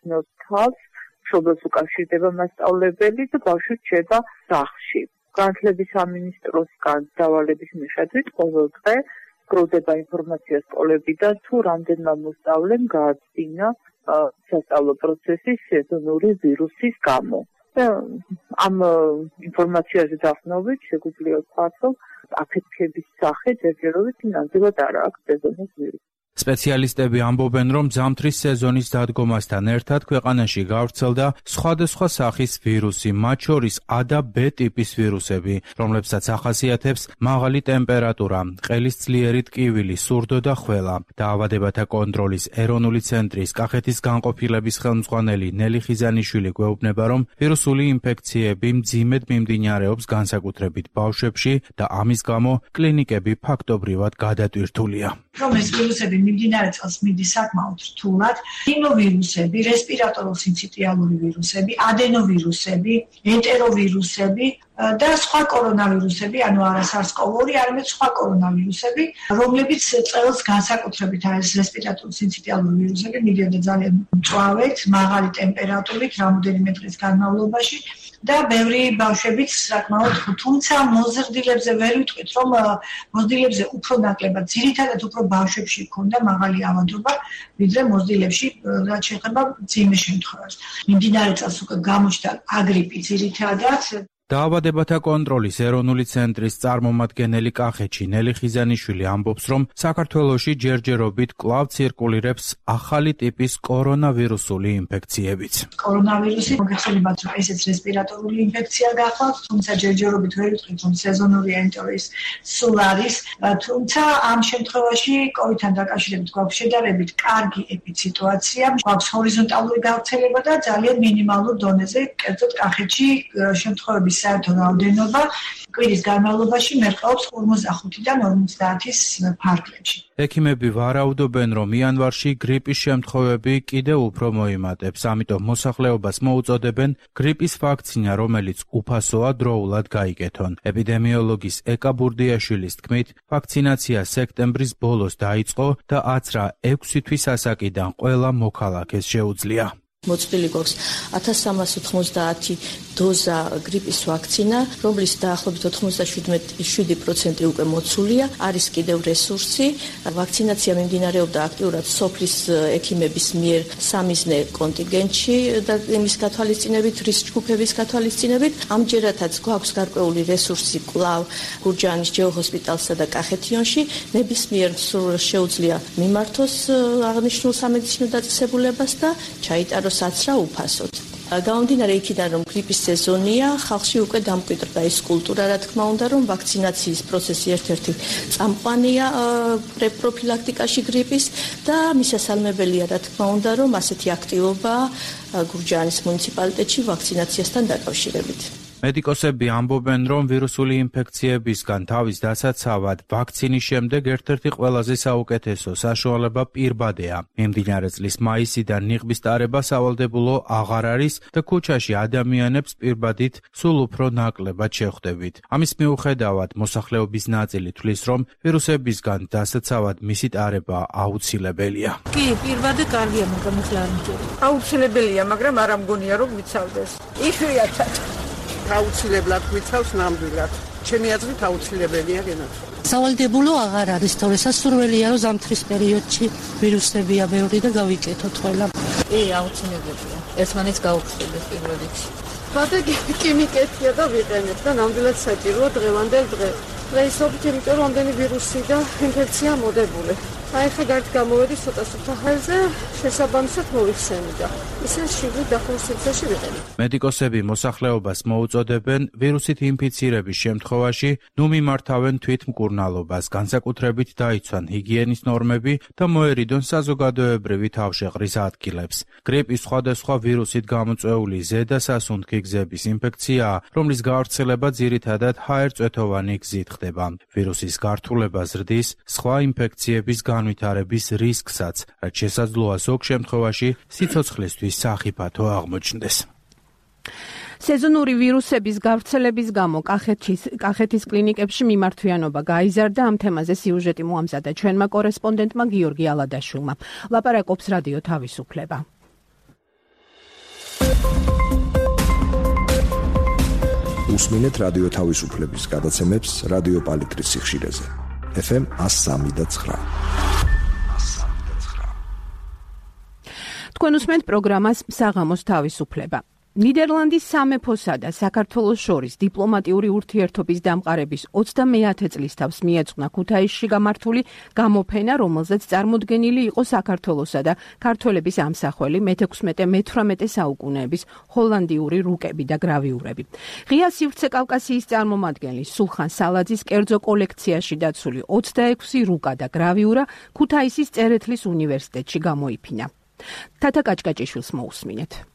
Speaker 10: თავს, მშობელს უკავშირდება მასწავლებელი და ბავშვი რჩება სახლში. განათლების სამინისტროსგან დავალების მიხედვით ყოველ დღე გროვდება ინფორმაცია სკოლებიდან, თუ რამდენმა მოსწავლემ გააჩინა სასწავლო პროცესის სეზონური ვირუსის გამო. და ამ ინფორმაციაზე დაყრდნობით შეგვიძლია ვთქვათ, რომ აფეთქების სახე ჯერჯერობით ნამდვილად არ აქვს სეზონის ვირუსი.
Speaker 9: სპეციალისტები ამბობენ, რომ ზამთრის სეზონის დადგომასთან ერთად ქვეყანაში გავრცელდა სხვადასხვა სახის ვირუსი, მათ შორის A და B ტიპის ვირუსები, რომლებსაც ახასიათებს მაღალი ტემპერატურა, ყელის ძლიერი ტკივილი, სურდო და ხველა. დაავადებათა კონტროლის ეროვნული ცენტრის კახეთის განყოფილების ხელმძღვანელი ნელი ხიზანიშვილი გვეუბნება, რომ ვირუსული ინფექციები მძიმედ მიმდინარეობს განსაკუთრებით ბავშვებში და ამის გამო კლინიკები ფაქტობრივად გადატვირთულია.
Speaker 11: რომ ეს ვირუსები მიმდინარე წელს მიდის საკმაოდ რთულად. რინოვირუსები, რესპირატორულ-სინციტიალური ვირუსები, ადენოვირუსები, ენტეროვირუსები და სხვა კორონავირუსები, ანუ არა SARS-CoV-ორი, არამედ სხვა კორონავირუსები, რომლებიც წელს განსაკუთრებით არის რესპირატორულ-სინციტიალური ვირუსები, მიდიოდა ძალიან მწვავედ, მაღალი ტემპერატურით, რამოდენიმე დღის განმავლობაში. და ბევრი ბავშვებიც საკმაოდ, თუმცა მოზრდილებზე ვერ ვიტყვით, რომ მოზრდილებზე უფრო ნაკლებად, ძირითადად უფრო ბავშვებში ჰქონდა მაღალი ავადობა, ვიდრე მოზრდილებში, რაც შეეხება მძიმე შემთხვევას. მიმდინარე წელს უკვე გამოჩნდა აგრიპი ძირითადად.
Speaker 9: დაავადებათა კონტროლის ეროვნული ცენტრის წარმომადგენელი კახეთში ნელი ხიზანიშვილი ამბობს, რომ საქართველოში ჯერჯერობით კვლავ ცირკულირებს ახალი ტიპის კორონავირუსული ინფექციებიც.
Speaker 11: კორონავირუსი მოგეხსენებათ, რომ ესეც რესპირატორული ინფექცია გახლავთ, თუმცა ჯერჯერობით ვერ ვიტყვით, რომ სეზონური ენტერის სულ არის, თუმცა ამ შემთხვევაში კოვიდთან დაკავშირებით გვაქვს შედარებით კარგი ეპიციტუაცია, გვაქვს ჰორიზონტალური გავრცელება და ძალიან მინიმალურ დონეზე, კერძოდ კახეთში შემთხვევების საერთო რაოდენობა კვირის განმავლობაში მერყეობს ორმოცდახუთიდან ორმოცდაათის ფარგლებში.
Speaker 9: ექიმები ვარაუდობენ, რომ იანვარში გრიპის შემთხვევები კიდევ უფრო მოიმატებს, ამიტომ მოსახლეობას მოუწოდებენ გრიპის ვაქცინა, რომელიც უფასოა, დროულად გაიგეთონ. ეპიდემიოლოგის ეკა ბურდიაშვილის თქმით, ვაქცინაცია სექტემბრის ბოლოს დაიწყო და აცრა ექვსი თვის ასაკიდან ყველა მოქალაქეს შეუძლია.
Speaker 3: მოწყილი გვაქვს ათას სამას ოთხმოცდაათი დოზა გრიპის ვაქცინა, რომლის დაახლოებით ოთხმოცდაშვიდი პროცენტი უკვე მოცულია, არის კიდევ რესურსი. ვაქცინაცია მიმდინარეობდა აქტიურად სოფლის ექიმების მიერ სამიზნე კონტინგენტში და იმის გათვალისწინებით, რისკ ჯგუფების გათვალისწინებით. ამჯერადაც გვაქვს გარკვეული რესურსი კვლავ გურჯაანის ჯეოჰოსპიტალსა და კახეთიონში. ნებისმიერ მსურველს შეუძლია მიმართოს აღნიშნულ სამედიცინო დაწესებულებას და ჩაიტაროს საცრა უფასოდ. გამომდინარე იქიდან, რომ გრიპის სეზონია, ხალხში უკვე დამკვიდრდა ის კულტურა, რა თქმა უნდა, რომ ვაქცინაციის პროცესი ერთ-ერთი წამყვანია პროფილაქტიკაში გრიპის და მისასალმებელია, რა თქმა უნდა, რომ ასეთი აქტივობა გურჯაანის მუნიციპალიტეტში ვაქცინაციასთან დაკავშირებით.
Speaker 9: მედიკოსები ამბობენ, რომ ვირუსული ინფექციებისგან თავის დასაცავად ვაქცინის შემდეგ ერთ-ერთი ყველაზე საუკეთესო საშუალება პირბადეა. მიმდინარე წლის მაისიდან ნიღბის ტარება სავალდებულო აღარ არის და ქუჩაში ადამიანებს პირბადით სულ უფრო ნაკლებად შეხვდებით. ამის მიუხედავად, მოსახლეობის ნაწილი თვლის, რომ ვირუსებისგან დასაცავად მისი ტარება აუცილებელია.
Speaker 12: კი, პირბადე კარგია, მაგრამ ახლა არ მჯერა. აუცილებელია, მაგრამ არ ამგონია, რომ ვიცავდეს. იშვიათად აუცილებლად ვიცავს ნამდვილად. ჩემი აზრით აუცილებელია გენაცვალება.
Speaker 13: სავალდებულო აღარ არის, თორე სასურველია, რომ ზამთრის პერიოდში ვირუსებია ბევრი და გავიკეთოთ ყველა.
Speaker 3: კი, აუცილებელია. ერთმანეთს გაუხსნიდეს პირველ რიგში.
Speaker 12: ბადე კი მიკეთია და ვიყენებ და ნამდვილად საჭიროა დღევანდელ დღეს. დღეისობით, იმიტომ რომ ამდენი ვირუსი და ინფექცია მოდებული. აი ხა გარეთ გამოვედი ცოტა სუფთა ჰაერზე, შესაბამისად მოვიხსენი და ისე შიგნით დახურ სივრცეში ვიყენებ.
Speaker 9: მედიკოსები მოსახლეობას მოუწოდებენ ვირუსით ინფიცირების შემთხვევაში ნუ მიმართავენ თვითმკურნალობას, განსაკუთრებით დაიცვან ჰიგიენის ნორმები და მოერიდონ საზოგადოებრივი თავშეყრის ადგილებს. გრიპის სხვადასხვა ვირუსით გამოწვეული ზედა სასუნთქი გზების ინფექციაა, რომლის გავრცელება ძირითადად ჰაერწვეთოვანი გზით ხდება. ვირუსის გართულება ზრდის სხვა ინფექციების განვითარების რისკსაც, რაც შესაძლოა ზოგ შემთხვევაში სიცოცხლისთვის სახიფათო აღმოჩნდეს.
Speaker 1: სეზონური ვირუსების გავრცელების გამო კახეთის კახეთის კლინიკებში მიმართვიანობა გაიზარდა. ამ თემაზე სიუჟეტი მოამზადა ჩვენმა კორესპონდენტმა გიორგი ალადაშვილმა. ლაპარაკობს რადიო თავისუფლება.
Speaker 8: უსმინეთ რადიო თავისუფლების გადაცემებს რადიო პალიტრის სიხშირეზე. ეფ ემ ას სამი და ცხრა.
Speaker 1: თქვენ უსმენთ პროგრამას საღამოს თავისუფლება. ნიდერლანდის სამეფოსა და საქართველოს შორის დიპლომატიური ურთიერთობის დამყარების ოცდამეათე წლის თავს მიეძღვნა ქუთაისში გამართული გამოფენა, რომელზეც წარმოდგენილი იყო საქართველოსა და ქართველების ამსახველი მეთექვსმეტე მეთვრამეტე საუკუნეების ჰოლანდიური რუკები და გრავიურები. ღია სივრცე კავკასიის წარმომადგენლის სულხან სალაძის კერძო კოლექციაში დაცული ოცდაექვსი რუკა და გრავიურა ქუთაისის წერეთლის უნივერსიტეტში გამოიფინა. თათა კაჭკაჭიშვილს მოусმინეთ.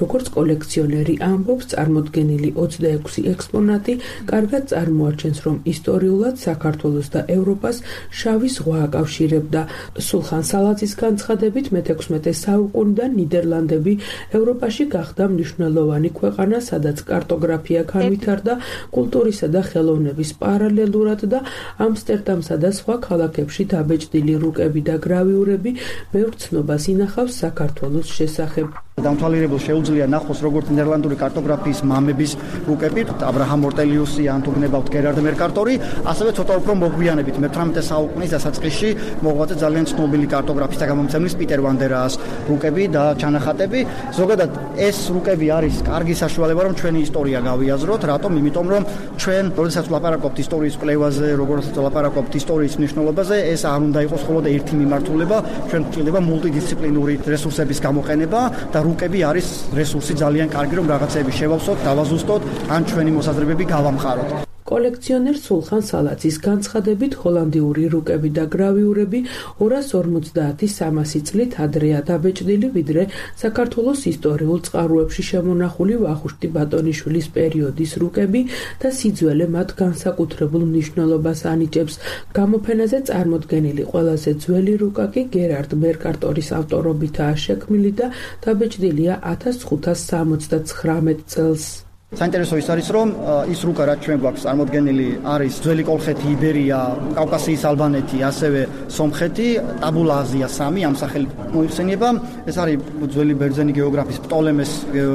Speaker 4: როგორც კოლექციონერი ამბობს, წარმოდგენილი ოცდაექვსი ექსპონატი კარგად წარმოაჩენს, რომ ისტორიულად საქართველოს და ევროპას შავი ზღვა აკავშირებდა. სულხან სალაძის განცხადებით, მეთექვსმეტე საუკუნიდან ნიდერლანდები ევროპაში გახდა მნიშვნელოვანი ქვეყანა, სადაც კარტოგრაფია განვითარდა კულტურისა და ხელოვნების პარალელურად და ამსტერდამსა და სხვა ქალაქებში დაბეჭდილი რუკები და გრავიურები ბევრ ცნობას ინახავს საქართველოს შესახებ.
Speaker 2: დამთვალიერებელს შეუძლია ნახოს როგორც ნიდერლანდური კარტოგრაფიის მამების რუკები, აბრაჰამ ორტელიუსი, ან თუ გნებავთ გერარდ მერკატორი, ასევე ცოტა უფრო მოგვიანებით მეთვრამეტე საუკუნის დასაწყისში მოღვაწე ძალიან ცნობილი კარტოგრაფის და გამომცემლის პიტერ ვანდერაას რუკები და ჩანახატები. ზოგადად ეს რუკები არის კარგი საშუალება, რომ ჩვენი ისტორია გავიაზროთ. რატომ? იმიტომ რომ ჩვენ, როდესაც ვლაპარაკობთ ისტორიის კვლევაზე, როგორც ვლაპარაკობთ ისტორიის მნიშვნელობაზე, ეს არ უნდა იყოს მხოლოდ ერთი მიმართულება, ჩვენ გვჭირდება მულტიდისციპლინური რესურსების გამოყენება და რუკები არის რესურსი ძალიან კარგი, რომ რაღაცები შევავსოთ, დავაზუსტოთ, ან ჩვენი მოსაზრებები გავამყაროთ.
Speaker 4: კოლექციონერ სულხან სალაძის განცხადებით, ჰოლანდიური რუკები და გრავიურები ორას ორმოცდაათი სამასი წლით ადრეა დაბეჭდილი, ვიდრე საქართველოს ისტორიულ წყაროებში შემონახული ვახუშტი ბატონიშვილის პერიოდის რუკები და სიძველე მათ განსაკუთრებულ მნიშვნელობას ანიჭებს. გამოფენაზე წარმოდგენილი ყველაზე ძველი რუკა კი გერარდ მერკატორის ავტორობითაა შექმნილი და დაბეჭდილია ათას ხუთას სამოცდაცხრამეტ წელს.
Speaker 2: საინტერესო ის არის, რომ ის რუკა რაც ჩვენ გვაქვს წარმოდგენილი არის ძველი კოლხეთი, იბერია, კავკასიის ალბანეთი, ასევე სომხეთი, ტაბულა აზია სამი ამ სახელით მოიხსენება. ეს არის ძველი ბერძენი გეოგრაფის პტოლემეს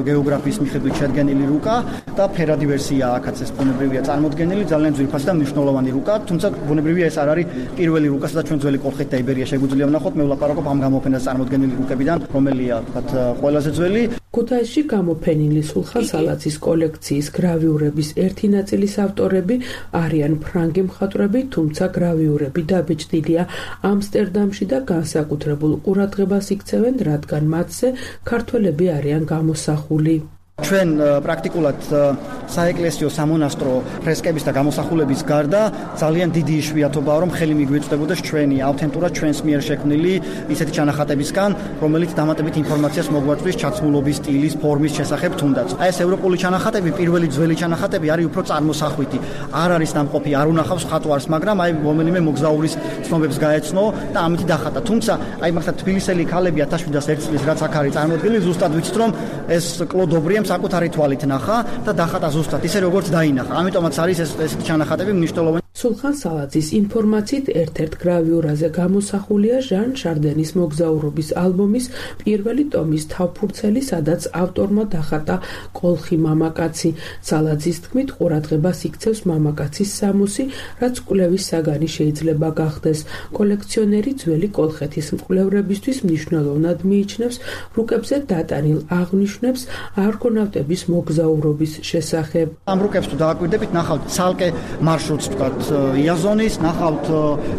Speaker 2: გეოგრაფიის მიხედვით შედგენილი რუკა და ფერადი ვერსია აქაც ეს ბუნებრივია წარმოდგენილი, ძალიან ძვირფასი და მნიშვნელოვანი რუკა, თუმცა ბუნებრივია ეს არ არის პირველი რუკა, სადაც ჩვენ ძველი კოლხეთი და იბერია შეგვიძლია ვნახოთ. მე ვლაპარაკობ ამ გამოფენაზე წარმოდგენილი რუკებიდან, რომელია თქვათ ყველაზე ძველი.
Speaker 4: ქუთაისში გამოფენილი სულხან სალაძის კოლექციის გრავიურების ერთი ნაწილის ავტორები არიან ფრანგი მხატვრები, თუმცა გრავიურები დაბეჭდილია ამსტერდამში და განსაკუთრებულ ყურადღებას იქცევენ, რადგან მათზე ქართველები არიან გამოსახული.
Speaker 2: ჩვენ პრაქტიკულად საეკლესიო სამონასტრო ფრესკების და გამოსახულების გარდა ძალიან დიდი იშვიათობაა, რომ ხელი მიგვეწვდებოდეს ჩვენი ავთენტურად ჩვენს მიერ შექმნილი ისეთი ჩანახატებისგან, რომელიც დამატებით ინფორმაციას მოგვაწვდის ჩაცმულობის სტილის, ფორმის შესახებ თუნდაც. აი ეს ევროპული ჩანახატები, პირველი ძველი ჩანახატები არის უფრო წარმოსახვითი. არ არის დამყოფი, არ უნახავს ხატვარს, მაგრამ აი რომელიმე მოგზაურის ცნობებს გაეცნო და ამით დახატა. თუმცა აი მაგათ თბილისელი ქალები ათას შვიდას ერთი წლის რაც აქ არის წარმოდგენილი, ზუსტად ვიცით, რომ ეს კლოდობრიემ საკუთარი თვალით ნახა და დახატა ზუსტად ისე როგორც დაინახა. ამიტომაც არის ეს ესეთი ჩანახატები მნიშვნელოვანი.
Speaker 4: სულხან სალაძის ინფორმაციით ერთ-ერთ გრავიურაზე გამოსახულია ჟან შარდენის მოგზაურობის ალბომის პირველი ტომის თავფურცელი, სადაც ავტორმა დახატა კოლხი მამაკაცი. სალაძის თქმით, ყურადღებას იქცევს მამაკაცის სამოსი, რაც კვლევის საგანი შეიძლება გახდეს. კოლექციონერი ძველი კოლხეთის მკვლევრებისთვის მნიშვნელოვნად მიიჩნევს რუკებზე დატანილ აღნიშვნებს არგონავტების მოგზაურობის შესახებ.
Speaker 2: ამ რუკებს თუ დააკვირდებით, ნახავთ ცალკე მარშრუტს, თქვათ იაზონის, ნახავთ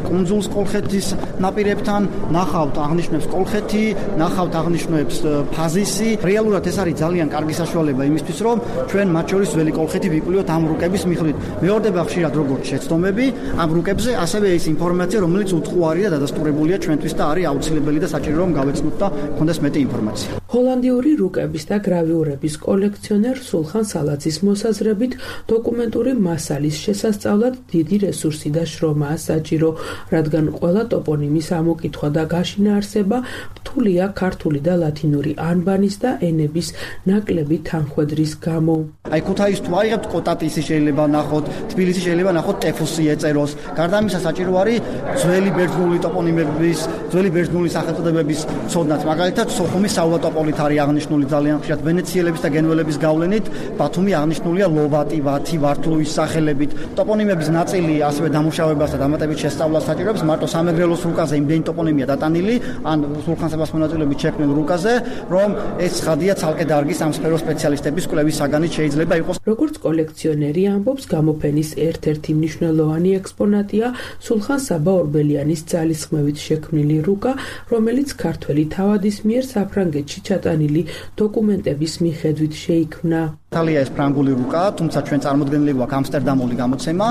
Speaker 2: კუნძულს კოლხეთის ნაპირებთან, ნახავთ აღნიშვნებს კოლხეთი, ნახავთ აღნიშვნებს ფაზისი. რეალურად ეს არის ძალიან კარგი საშუალება იმისთვის, რომ ჩვენ მათ შორის ძველი კოლხეთი ვიკვლევთ ამ რუკების მიხედვით. მეორდება ხშირად როგორც შეცდომები ამ რუკებზე, ასევე ის ინფორმაცია, რომელიც უთხუარი და დადასტურებულია ჩვენთვის და არის აუცილებელი და საჭირო რომ გავეცნოთ და გქონდეს მეტი ინფორმაცია.
Speaker 4: ჰოლანდიური რუკების და გრავიურების კოლექციონერ სულხან სალაძის მოსაზრებით, დოკუმენტური მასალის შესასწავლად დიდი რესურსი და შრომაა საჭირო, რადგან ყველა ტოპონიმის ამოკითხვა და გაშინა არსება რთულია ქართული და ლათინური ანბანის და ენების ნაკლები თანხვედრის გამო.
Speaker 2: აი ქუთაისს თუ აიღებთ კოტატისი შეიძლება ნახოთ, თბილისი შეიძლება ნახოთ ტეფუსი ეწეროს. გარდა ამისა საჭირო არის ძველი ბერძნული ტოპონიმების, ძველი ბერძნული სახელწოდებების ცოდნაც. მაგალითად, სოხუმის საულატოპოლით არის აღნიშნული ძალიან ხშირად ვენეციელების და გენუელების გავლენით, ბათუმი აღნიშნულია ლოვატი, ვათი, ვართლუის სახელებით. ტოპონიმების ნაწილი ასევე დამუშავებას და დამატებით შესწავლას საჭიროებს. მარტო სამეგრელოს რუკაზე იმდენი ტოპონიმია დატანილი, ან სულხან საბას მონაწილეობით შექმნილ რუკაზე, რომ ეს ცხადია ცალკე დარგის ამ სფეროს სპეციალისტების კვლევის საგანით შეიძლება იყოს.
Speaker 4: როგორც კოლექციონერი ამბობს, გამოფენის ერთ-ერთი მნიშვნელოვანი ექსპონატია სულხან საბა ორბელიანის ძალისხმევით შექმნილი რუკა, რომელიც ქართველი თავადის მიერ საფრანგეთში ჩატანილი დოკუმენტების მიხედვით შეიქმნა.
Speaker 2: იტალია ეს ფრანგული რუკა, თუმცა ჩვენ წარმოდგენილი გვაქვს ამსტერდამული გამოცემა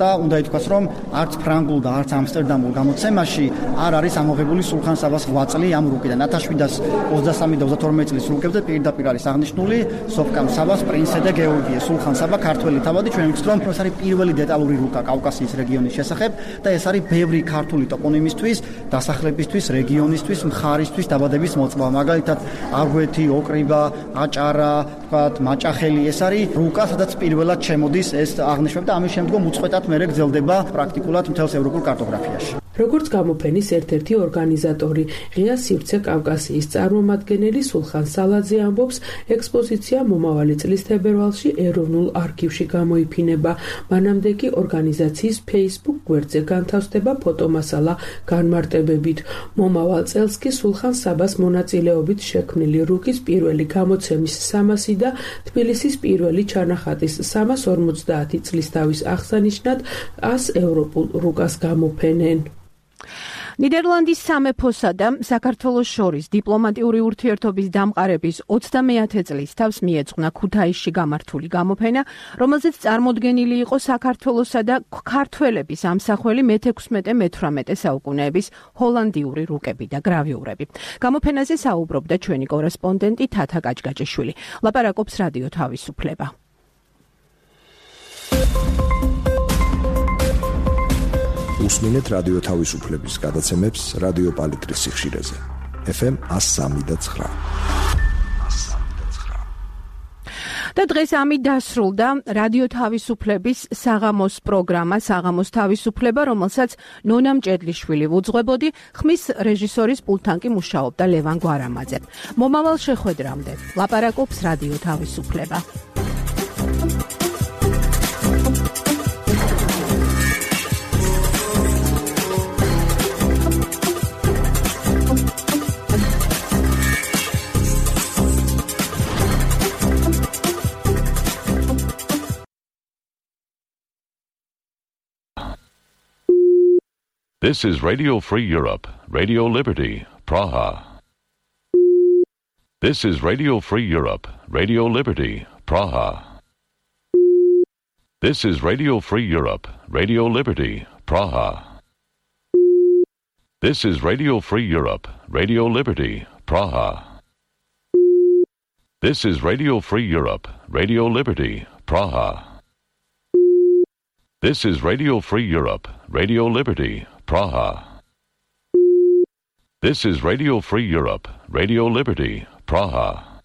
Speaker 2: და უნდა ითქვას, რომ არც ფრანგულ და არც ამსტერდამულ გამოცემაში არ არის ამოღებული სულხან საბას ღვაწლი ამ რუკიდან. ათას შვიდას ოცდასამი და ოცდათორმეტ წლის რუკებზე პირდაპირ არის აღნიშნული სოფკამ საბას პრინცე და გეორგიე სულხან საბა ქართველი თავადი. ჩვენ ვიცით, რომ ეს არის პირველი დეტალური რუკა კავკასიის რეგიონის შესახებ და ეს არის ბევრი ქართული ტოპონიმისთვის, დასახლებისთვის, რეგიონისთვის, მხარისთვის დაბადების მოწმობა. მაგალითად, აგვეთი, ოკრიბა, აჭარა, თქვათ, მაჭახი ეს არის რუკა, სადაც პირველად შემოდის ეს აღნიშვნები და ამის შემდგომ უწყვეტად მერე გრძელდება პრაქტიკულად მთელს ევროპულ კარტოგრაფიაში.
Speaker 4: როგორც გამოფენის ერთ-ერთი ორგანიზატორი, ღია სივრცე კავკასიის წარმომადგენელი სულხან სალაძე ამბობს, ექსპოზიცია მომავალი წლის თებერვალში ეროვნულ არქივში გამოიფინება. მანამდე კი ორგანიზაციის Facebook გვერდზე განთავსდება ფოტომასალა განმარტებებით. მომავალ წელს კი სულხან საბას მონაწილეობით შექმნილი რუკის პირველი გამოცემის სამასი და თბილისის პირველი ჩანახატის სამას ორმოცდაათი წლის თავის აღსანიშნად ას ევროპულ რუკას გამოფენენ.
Speaker 1: ნიდერლანდის სამეფოსა და საქართველოს შორის დიპლომატიური ურთიერთობის დამყარების ოცდამეათე წლის თავს მიეძღვნა ქუთაისში გამართული გამოფენა, რომელზეც წარმოდგენილი იყო საქართველოსა და ქართველების ამსახველი მეთექვსმეტე-მეთვრამეტე საუკუნეების ჰოლანდიური რუკები და გრავიურები. გამოფენაზე საუბრობდა ჩვენი კორესპონდენტი თათა გაჭგაჭიშვილი. ლაპარაკობს რადიო თავისუფლება.
Speaker 8: უსმინეთ რადიო თავისუფლების გადაცემებს რადიო პალიტრის სიხშირეზე. ეფ ემ ას სამი და ცხრა.
Speaker 1: და და დღეს ამით დასრულდა რადიო თავისუფლების საღამოს პროგრამა საღამოს თავისუფლება, რომელსაც ნონა მჭედლიშვილი ვუძღვებოდი, ხმის რეჟისორის პულტთან კი მუშაობდა ლევან გვარამაძე. მომავალ შეხვედრამდე ლაპარაკობს რადიო თავისუფლება.
Speaker 14: This is Radio Free Europe, Radio Liberty, Praha. This is Radio Free Europe, Radio Liberty, Praha. This is Radio Free Europe, Radio Liberty, Praha. This is Radio Free Europe, Radio Liberty, Praha. This is Radio Free Europe, Radio Liberty, Praha. This is Radio Free Europe, Radio Liberty, Praha. This is Radio Free Europe, Radio Liberty, Praha.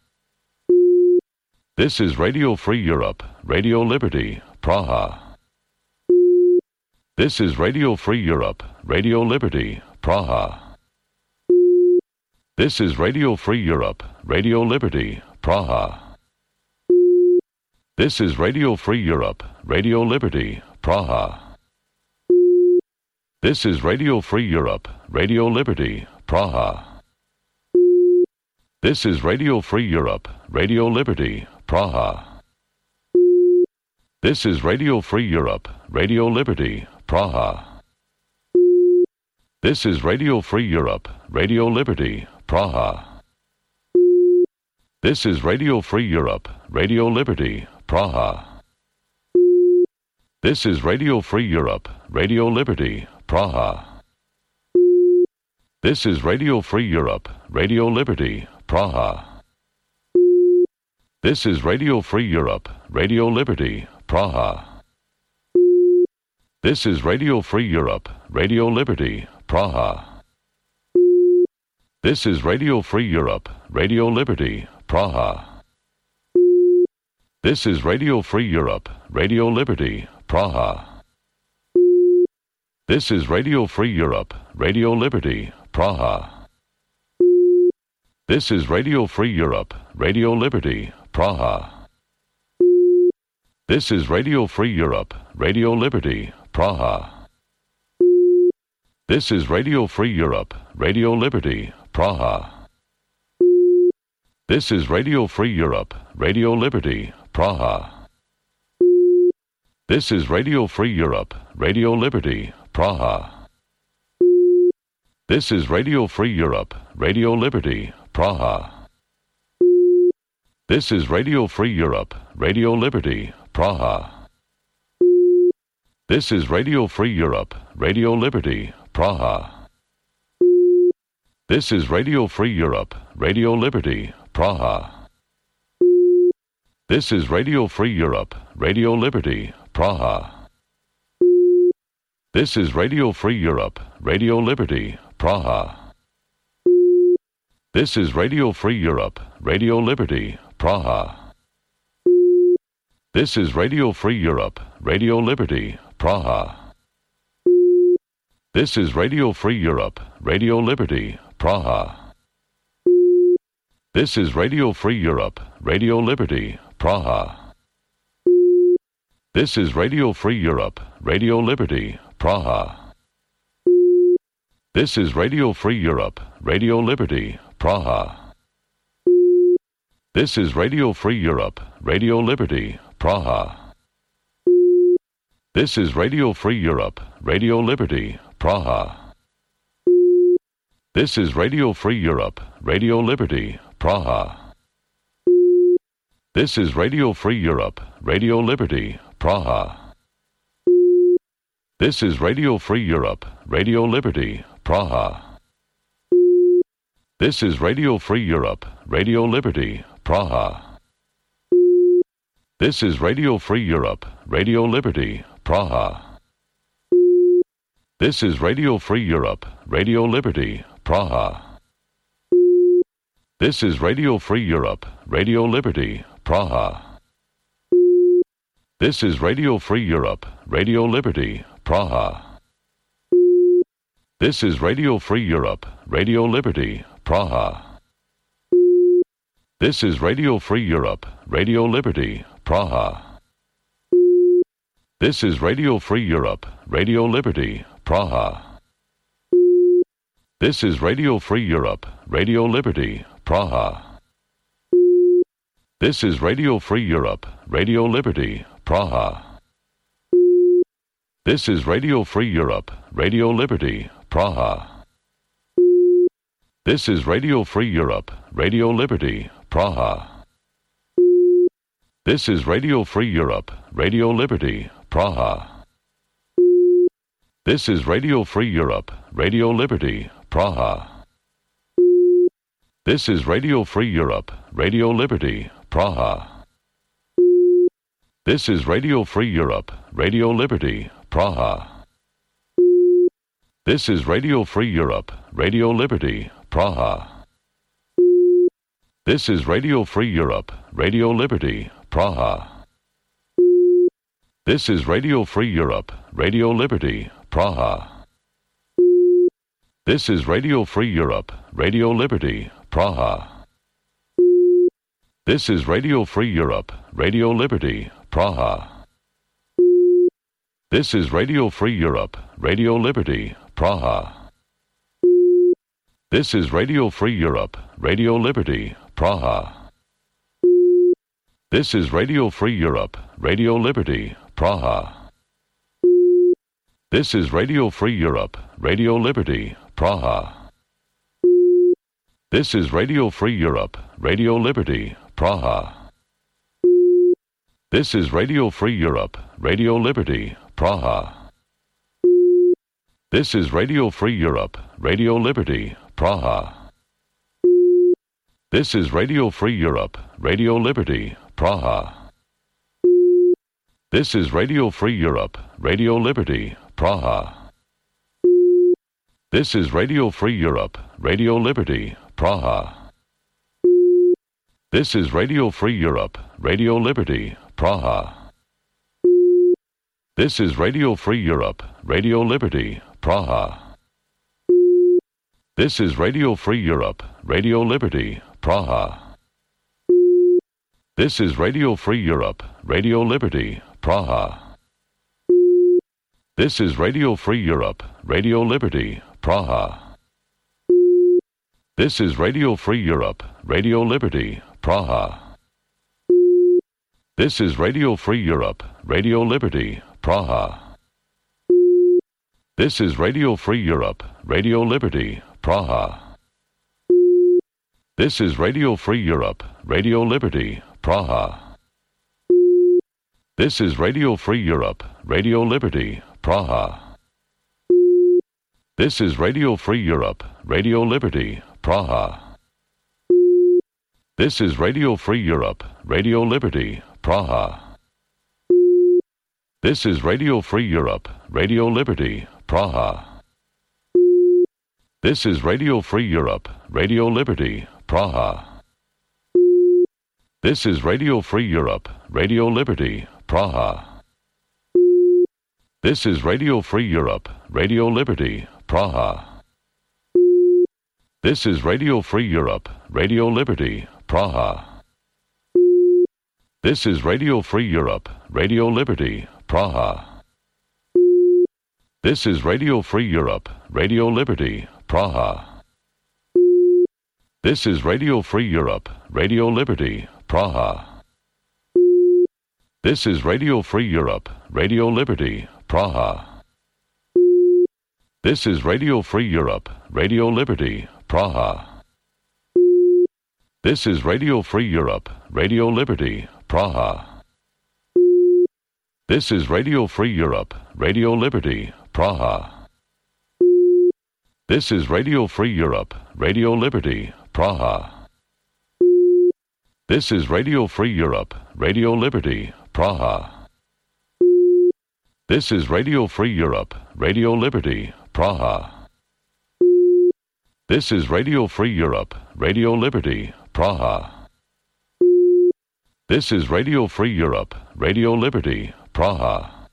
Speaker 14: This is Radio Free Europe, Radio Liberty, Praha. This is Radio Free Europe, Radio Liberty, Praha. This is Radio Free Europe, Radio Liberty, Praha. This is Radio Free Europe, Radio Liberty, Praha. This is Radio Free Europe, Radio Liberty, Praha. This is Radio Free Europe, Radio Liberty, Praha. This is Radio Free Europe, Radio Liberty, Praha. This is Radio Free Europe, Radio Liberty, Praha. This is Radio Free Europe, Radio Liberty, Praha. This is Radio Free Europe, Radio Liberty, Praha. This is Radio Free Europe, Radio Liberty, Praha. This is Radio Free Europe, Radio Liberty, Praha. This is Radio Free Europe, Radio Liberty, Praha. This is Radio Free Europe, Radio Liberty, Praha. This is Radio Free Europe, Radio Liberty, Praha. This is Radio Free Europe, Radio Liberty, Praha. This is Radio Free Europe, Radio Liberty, Praha. This is Radio Free Europe, Radio Liberty, Praha. This is Radio Free Europe, Radio Liberty, Praha. This is Radio Free Europe, Radio Liberty, Praha. This is Radio Free Europe, Radio Liberty, Praha. This is Radio Free Europe, Radio Liberty, Praha. This is Radio Free Europe, Radio Liberty, Praha. This is Radio Free Europe, Radio Liberty, Praha. This is Radio Free Europe, Radio Liberty, Praha. This is Radio Free Europe, Radio Liberty, Praha. This is Radio Free Europe, Radio Liberty, Praha. This is Radio Free Europe, Radio Liberty, Praha. This is Radio Free Europe, Radio Liberty, Praha. This is Radio Free Europe, Radio Liberty, Praha. This is Radio Free Europe, Radio Liberty, Praha. This is Radio Free Europe, Radio Liberty, Praha. This is Radio Free Europe, Radio Liberty, Praha. This is Radio Free Europe, Radio Liberty, Praha. This is Radio Free Europe, Radio Liberty, Praha. This is Radio Free Europe, Radio Liberty, Praha. This is Radio Free Europe, Radio Liberty, Praha. This is Radio Free Europe, Radio Liberty, Praha. This is Radio Free Europe, Radio Liberty, Praha. This is Radio Free Europe, Radio Liberty, Praha. This is Radio Free Europe, Radio Liberty, Praha. This is Radio Free Europe, Radio Liberty, Praha. This is Radio Free Europe, Radio Liberty, Praha. This is Radio Free Europe, Radio Liberty, Praha. This is Radio Free Europe, Radio Liberty, Praha. This is Radio Free Europe, Radio Liberty, Praha. This is Radio Free Europe, Radio Liberty, Praha. This is Radio Free Europe, Radio Liberty, Praha. This is Radio Free Europe, Radio Liberty, Praha. This is Radio Free Europe, Radio Liberty, Praha. This is Radio Free Europe, Radio Liberty, Praha. This is Radio Free Europe, Radio Liberty, Praha. This is Radio Free Europe, Radio Liberty, Praha. This is Radio Free Europe, Radio Liberty, Praha. This is Radio Free Europe, Radio Liberty, Praha. This is Radio Free Europe, Radio Liberty, Praha. This is Radio Free Europe, Radio Liberty, Praha. This is Radio Free Europe, Radio Liberty, Praha. This is Radio Free Europe, Radio Liberty, Praha. This is Radio Free Europe, Radio Liberty, Praha. This is Radio Free Europe, Radio Liberty, Praha. This is Radio Free Europe, Radio Liberty, Praha. This is Radio Free Europe, Radio Liberty, Praha. This is Radio Free Europe, Radio Liberty, Praha. This is Radio Free Europe, Radio Liberty, Praha. This is Radio Free Europe, Radio Liberty, Praha. This is Radio Free Europe, Radio Liberty, Praha. This is Radio Free Europe, Radio Liberty, Praha. This is Radio Free Europe, Radio Liberty, Praha. This is Radio Free Europe, Radio Liberty, Praha. This is Radio Free Europe, Radio Liberty, Praha. This is Radio Free Europe, Radio Liberty, Praha. This is Radio Free Europe, Radio Liberty, Praha. This is Radio Free Europe, Radio Liberty, Praha. This is Radio Free Europe, Radio Liberty, Praha. This is Radio Free Europe, Radio Liberty, Praha. This is Radio Free Europe, Radio Liberty, Praha. This is Radio Free Europe, Radio Liberty, Praha. This is Radio Free Europe, Radio Liberty, Praha. This is Radio Free Europe, Radio Liberty, Praha. This is Radio Free Europe, Radio Liberty, Praha. This is Radio Free Europe, Radio Liberty, Praha. This is Radio Free Europe, Radio Liberty, Praha. This is Radio Free Europe, Radio Liberty, Praha. This is Radio Free Europe, Radio Liberty, Praha. This is Radio Free Europe, Radio Liberty, Praha. This is Radio Free Europe, Radio Liberty, Praha. This is Radio Free Europe, Radio Liberty, Praha. This is Radio Free Europe, Radio Liberty, Praha. This is Radio Free Europe, Radio Liberty, Praha. This is Radio Free Europe, Radio Liberty, Praha. This is Radio Free Europe, Radio Liberty, Praha. This is Radio Free Europe, Radio Liberty, Praha. This is Radio Free Europe, Radio Liberty, Praha. This is Radio Free Europe, Radio Liberty, Praha. This is Radio Free Europe, Radio Liberty, Praha. This is Radio Free Europe, Radio Liberty, Praha. This is Radio Free Europe, Radio Liberty, Praha.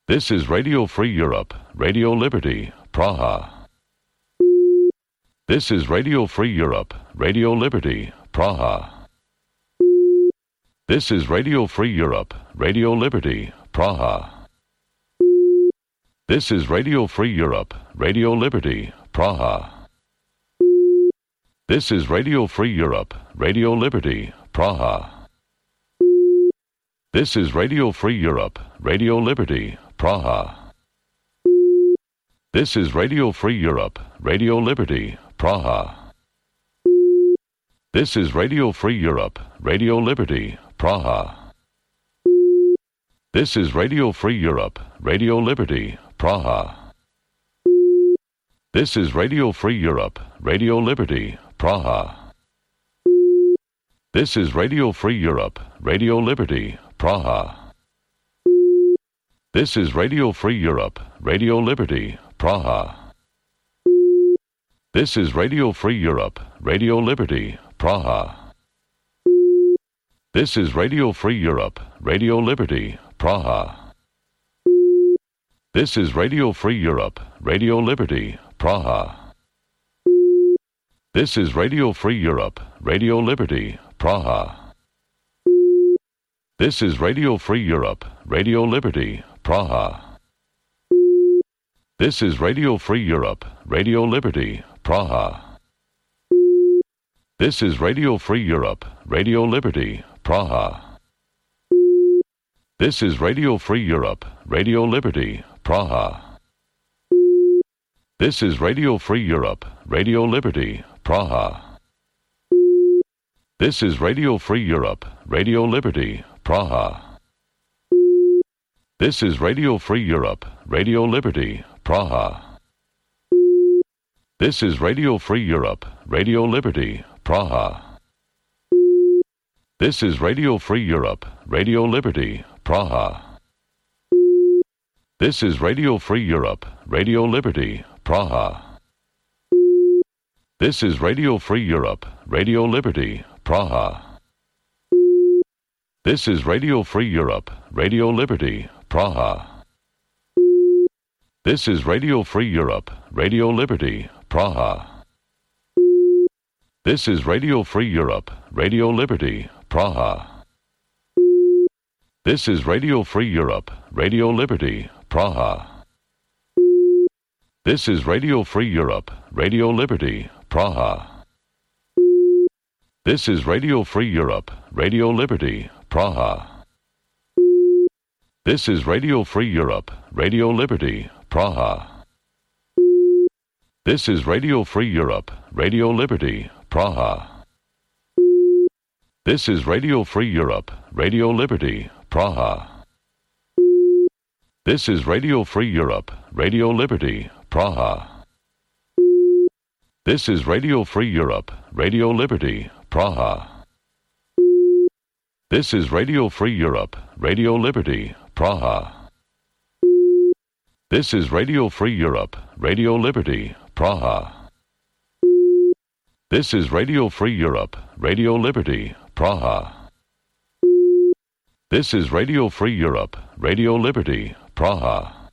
Speaker 14: This is Radio Free Europe, Radio Liberty, Praha. This is Radio Free Europe, Radio Liberty, Praha. This is Radio Free Europe, Radio Liberty, Praha. This is Radio Free Europe, Radio Liberty, Praha. This is Radio Free Europe, Radio Liberty, Praha. This is Radio Free Europe, Radio Liberty, Praha. This is Radio Free Europe, Radio Liberty, Praha. This is Radio Free Europe, Radio Liberty, Praha. This is Radio Free Europe, Radio Liberty, Praha. This is Radio Free Europe, Radio Liberty, Praha. This is Radio Free Europe, Radio Liberty, Praha. This is Radio Free Europe, Radio Liberty, Praha. This is Radio Free Europe, Radio Liberty, Praha. This is Radio Free Europe, Radio Liberty, Praha. This is Radio Free Europe, Radio Liberty, Praha. This is Radio Free Europe, Radio Liberty, Praha. This is Radio Free Europe, Radio Liberty, Praha. This is Radio Free Europe, Radio Liberty, Praha. This is Radio Free Europe, Radio Liberty, Praha. This is Radio Free Europe, Radio Liberty, Praha. This is Radio Free Europe, Radio Liberty, Praha. This is Radio Free Europe, Radio Liberty, Praha. This is Radio Free Europe, Radio Liberty, Praha. This is Radio Free Europe, Radio Liberty, Praha. This is Radio Free Europe, Radio Liberty, Praha. This is Radio Free Europe, Radio Liberty, Praha. This is Radio Free Europe, Radio Liberty, Praha. This is Radio Free Europe, Radio Liberty, Praha. This is Radio Free Europe, Radio Liberty, Praha. This is Radio Free Europe, Radio Liberty, Praha. This is Radio Free Europe, Radio Liberty, Praha. This is Radio Free Europe, Radio Liberty, Praha. This is Radio Free Europe, Radio Liberty, Praha. This is Radio Free Europe, Radio Liberty, Praha. This is Radio Free Europe, Radio Liberty, Praha. This is Radio Free Europe, Radio Liberty, Praha. This is Radio Free Europe, Radio Liberty, Praha. This is Radio Free Europe, Radio Liberty, Praha. This is Radio Free Europe, Radio Liberty, Praha. This is Radio Free Europe, Radio Liberty, Praha. This is Radio Free Europe, Radio Liberty, Praha. This is Radio Free Europe, Radio Liberty, Praha.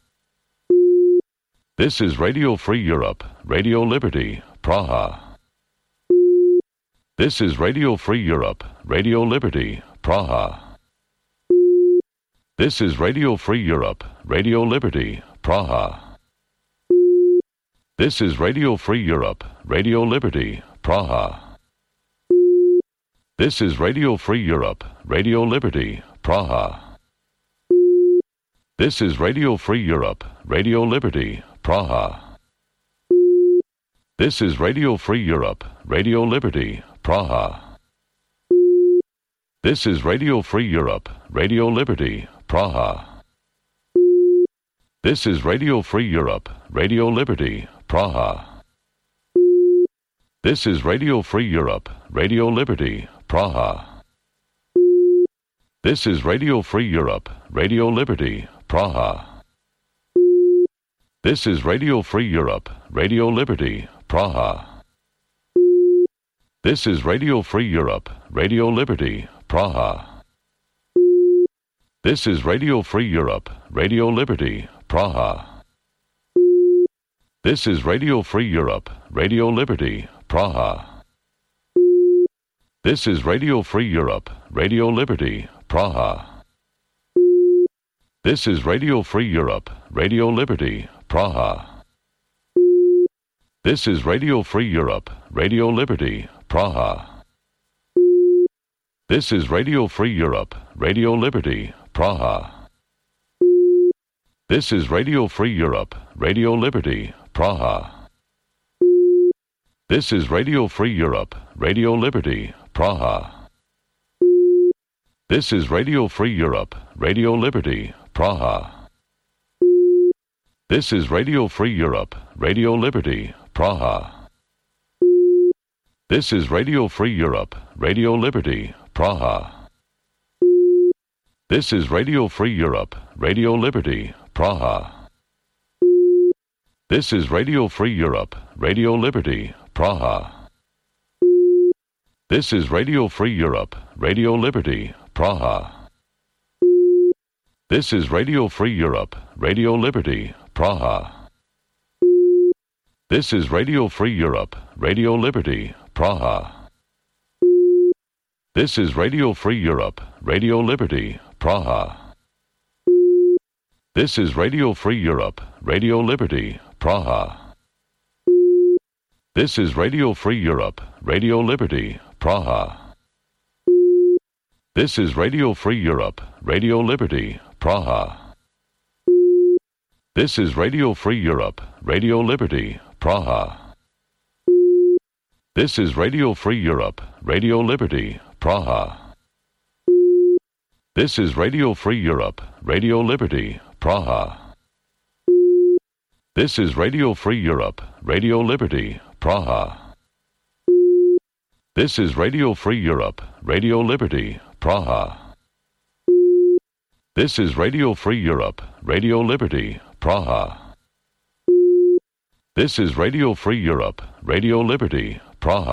Speaker 14: This is Radio Free Europe, Radio Liberty, Praha. This is Radio Free Europe, Radio Liberty, Praha. This is Radio Free Europe, Radio Liberty, Praha. This is Radio Free Europe, Radio Liberty, Praha. This is Radio Free Europe, Radio Liberty, Praha. This is Radio Free Europe, Radio Liberty, Praha. This is Radio Free Europe, Radio Liberty, Praha. This is Radio Free Europe, Radio Liberty, Praha. This is Radio Free Europe, Radio Liberty, Praha. This is Radio Free Europe, Radio Liberty, Praha. This is Radio Free Europe, Radio Liberty, Praha. This is Radio Free Europe, Radio Liberty, Praha. This is Radio Free Europe, Radio Liberty, Praha. This is Radio Free Europe, Radio Liberty, Praha. This is Radio Free Europe, Radio Liberty, Praha. This is Radio Free Europe, Radio Liberty, Praha. This is Radio Free Europe, Radio Liberty, Praha. This is Radio Free Europe, Radio Liberty, Praha. This is Radio Free Europe, Radio Liberty, Praha. This is Radio Free Europe, Radio Liberty, Praha. This is Radio Free Europe, Radio Liberty, Praha. This is Radio Free Europe, Radio Liberty, Praha. This is Radio Free Europe, Radio Liberty, Praha. This is Radio Free Europe, Radio Liberty, Praha. This is Radio Free Europe, Radio Liberty, Praha. This is Radio Free Europe, Radio Liberty, Praha. This is Radio Free Europe, Radio Liberty, Praha. This is Radio Free Europe, Radio Liberty, Praha. This is Radio Free Europe, Radio Liberty, Praha. This is Radio Free Europe, Radio Liberty, Praha. This is Radio Free Europe, Radio Liberty, Praha. This is Radio Free Europe, Radio Liberty, Praha. This is Radio Free Europe, Radio Liberty, Praha. This is Radio Free Europe, Radio Liberty, Praha. This is Radio Free Europe, Radio Liberty, Praha. This is Radio Free Europe, Radio Liberty, Praha. This is Radio Free Europe, Radio Liberty, Praha. This is Radio Free Europe, Radio Liberty, Praha. This is Radio Free Europe, Radio Liberty, Praha. This is Radio Free Europe, Radio Liberty, Praha.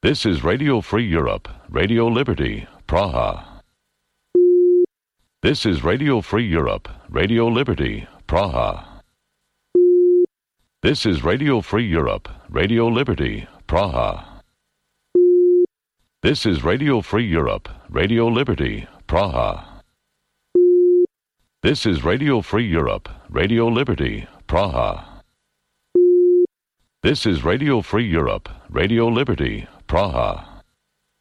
Speaker 14: This is Radio Free Europe, Radio Liberty, Praha. This is Radio Free Europe, Radio Liberty, Praha. This is Radio Free Europe, Radio Liberty, Praha. This is Radio Free Europe, Radio Liberty, Praha. This is Radio Free Europe, Radio Liberty, Praha. This is Radio Free Europe, Radio Liberty,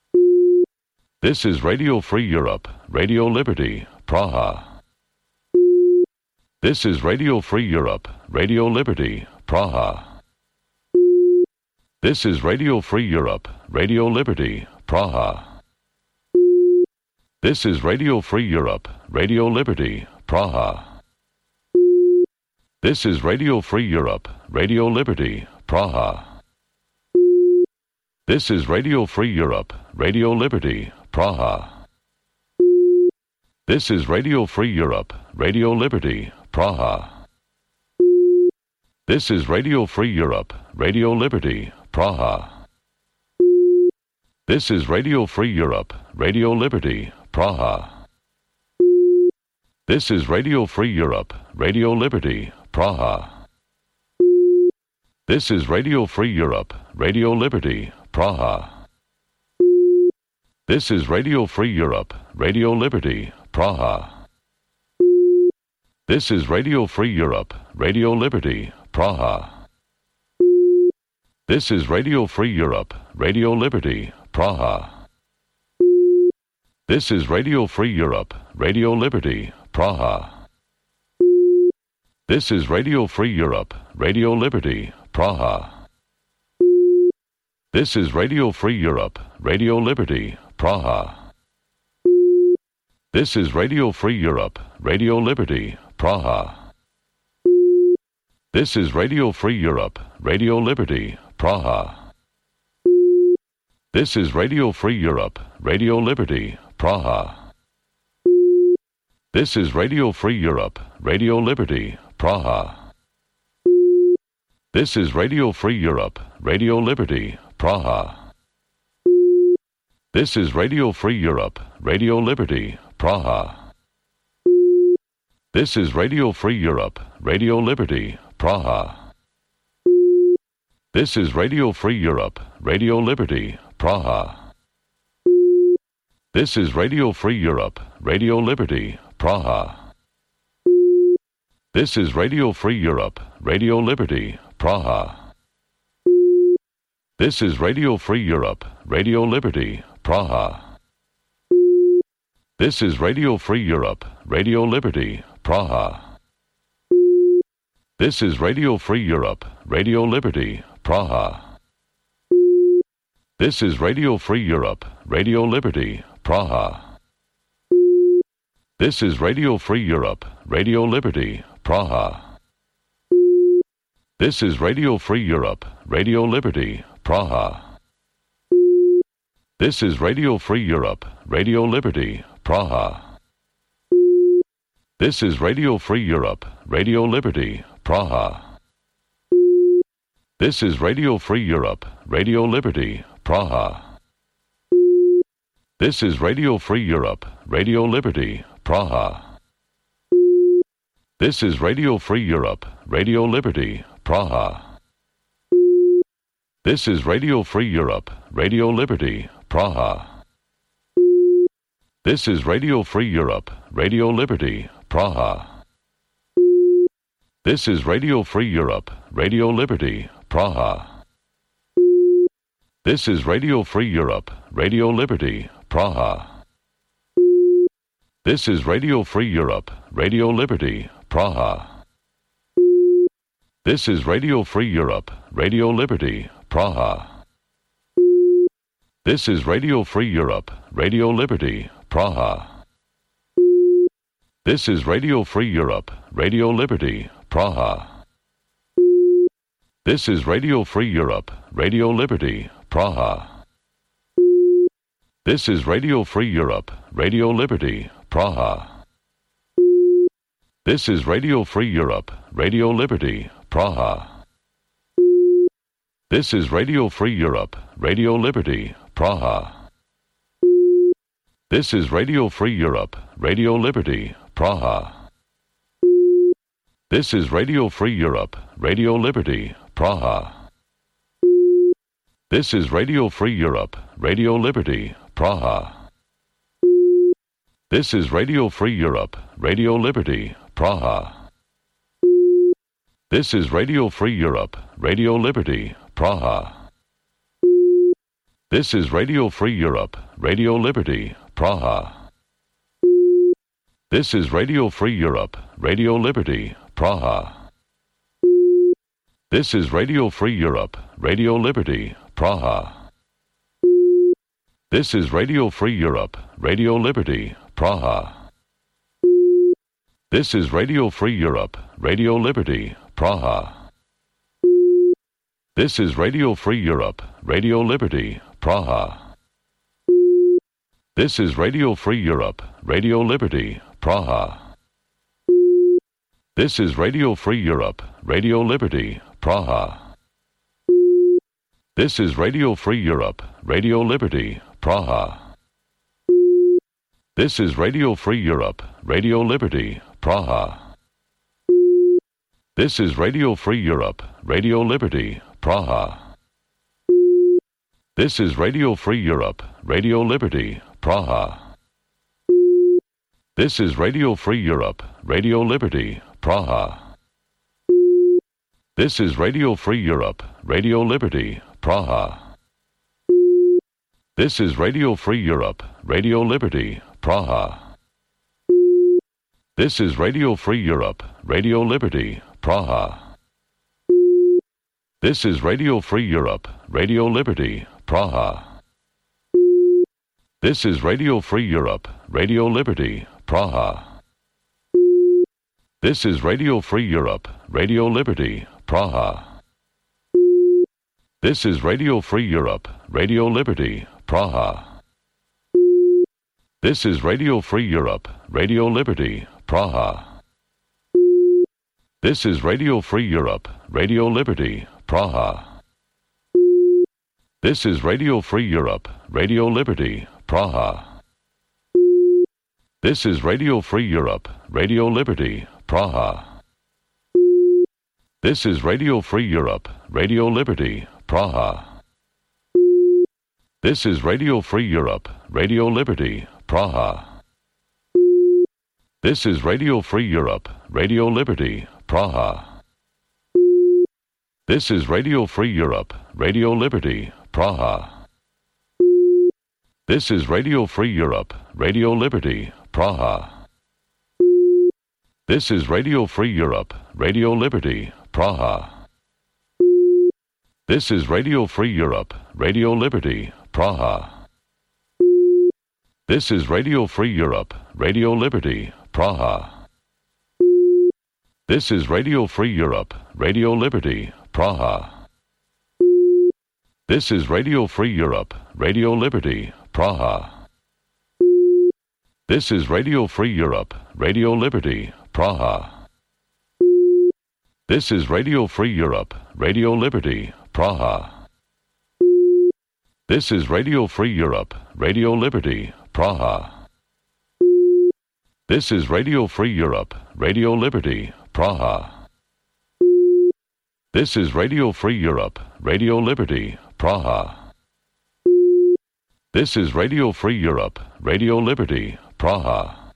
Speaker 14: Praha. This is Radio Free Europe, Radio Liberty, Praha. This is Radio Free Europe, Radio Liberty, Praha. This is Radio Free Europe, Radio Liberty, Praha. This is Radio Free Europe, Radio Liberty, Praha. This is Radio Free Europe, Radio Liberty, Praha. This is Radio Free Europe, Radio Liberty, Praha. This is Radio Free Europe, Radio Liberty, Praha. This is Radio Free Europe, Radio Liberty, Praha. This is Radio Free Europe, Radio Liberty, Praha. This is Radio Free Europe, Radio Liberty, Praha. This is Radio Free Europe, Radio Liberty, Praha. This is Radio Free Europe, Radio Liberty, Praha. This is Radio Free Europe, Radio Liberty, Praha. This is Radio Free Europe, Radio Liberty, Praha. This is Radio Free Europe, Radio Liberty, Praha. This is Radio Free Europe, Radio Liberty, Praha. This is Radio Free Europe, Radio Liberty, Praha. This is Radio Free Europe, Radio Liberty, Praha. This is Radio Free Europe, Radio Liberty, Praha. This is Radio Free Europe, Radio Liberty, Praha. This is Radio Free Europe, Radio Liberty, Praha. This is Radio Free Europe, Radio Liberty, Praha. This is Radio Free Europe, Radio Liberty, Praha. This is Radio Free Europe, Radio Liberty, Praha. This is Radio Free Europe, Radio Liberty, Praha. This is Radio Free Europe, Radio Liberty, Praha. This is Radio Free Europe, Radio Liberty, Praha. This is Radio Free Europe, Radio Liberty, Praha. This is Radio Free Europe, Radio Liberty, Praha. This is Radio Free Europe, Radio Liberty, Praha. This is Radio Free Europe, Radio Liberty, Praha. This is Radio Free Europe, Radio Liberty, Praha. This is Radio Free Europe, Radio Liberty, Praha. This is Radio Free Europe, Radio Liberty, Praha. This is Radio Free Europe, Radio Liberty, Praha. This is Radio Free Europe, Radio Liberty, Praha. This is Radio Free Europe, Radio Liberty, Praha. This is Radio Free Europe, Radio Liberty, Praha. This is Radio Free Europe, Radio Liberty, Praha. This is Radio Free Europe, Radio Liberty, Praha. This is Radio Free Europe, Radio Liberty, Praha. This is Radio Free Europe, Radio Liberty, Praha. This is Radio Free Europe, Radio Liberty, Praha. This is Radio Free Europe, Radio Liberty, Praha. This is Radio Free Europe, Radio Liberty, Praha. This is Radio Free Europe, Radio Liberty, Praha. This is Radio Free Europe, Radio Liberty, Praha. This is Radio Free Europe, Radio Liberty, Praha. This is Radio Free Europe, Radio Liberty, Praha. This is Radio Free Europe, Radio Liberty, Praha. This is Radio Free Europe, Radio Liberty, Praha. This is Radio Free Europe, Radio Liberty, Praha. This is Radio Free Europe, Radio Liberty, Praha. This is Radio Free Europe, Radio Liberty, Praha. This is Radio Free Europe, Radio Liberty, Praha. This is Radio Free Europe, Radio Liberty, Praha. This is Radio Free Europe, Radio Liberty, Praha. This is Radio Free Europe, Radio Liberty, Praha. This is Radio Free Europe, Radio Liberty, Praha. This is Radio Free Europe, Radio Liberty, Praha. This is Radio Free Europe, Radio Liberty, Praha. This is Radio Free Europe, Radio Liberty, Praha. This is Radio Free Europe, Radio Liberty, Praha. This is Radio Free Europe, Radio Liberty, Praha. This is Radio Free Europe, Radio Liberty, Praha. This is Radio Free Europe, Radio Liberty, Praha. This is Radio Free Europe, Radio Liberty, Praha. This is Radio Free Europe, Radio Liberty, Praha. This is Radio Free Europe, Radio Liberty, Praha. This is Radio Free Europe, Radio Liberty, Praha. This is Radio Free Europe, Radio Liberty, Praha. This is Radio Free Europe, Radio Liberty, Praha. This is Radio Free Europe, Radio Liberty, Praha. This is Radio Free Europe, Radio Liberty, Praha. This is Radio Free Europe, Radio Liberty, Praha. This is Radio Free Europe, Radio Liberty, Praha. This is Radio Free Europe, Radio Liberty, Praha. This is Radio Free Europe, Radio Liberty, Praha. This is Radio Free Europe, Radio Liberty, Praha. This is Radio Free Europe, Radio Liberty, Praha. This is Radio Free Europe, Radio Liberty, Praha. This is Radio Free Europe, Radio Liberty, Praha. This is Radio Free Europe, Radio Liberty, Praha. This is Radio Free Europe, Radio Liberty, Praha. This is Radio Free Europe, Radio Liberty, Praha. This is Radio Free Europe, Radio Liberty, Praha. This is Radio Free Europe, Radio Liberty, Praha. This is Radio Free Europe, Radio Liberty, Praha. This is Radio Free Europe, Radio Liberty, Praha. This is Radio Free Europe, Radio Liberty, Praha. This is Radio Free Europe, Radio Liberty, Praha. This is Radio Free Europe, Radio Liberty, Praha. This is Radio Free Europe, Radio Liberty, Praha. This is Radio Free Europe, Radio Liberty, Praha. This is Radio Free Europe, Radio Liberty, Praha.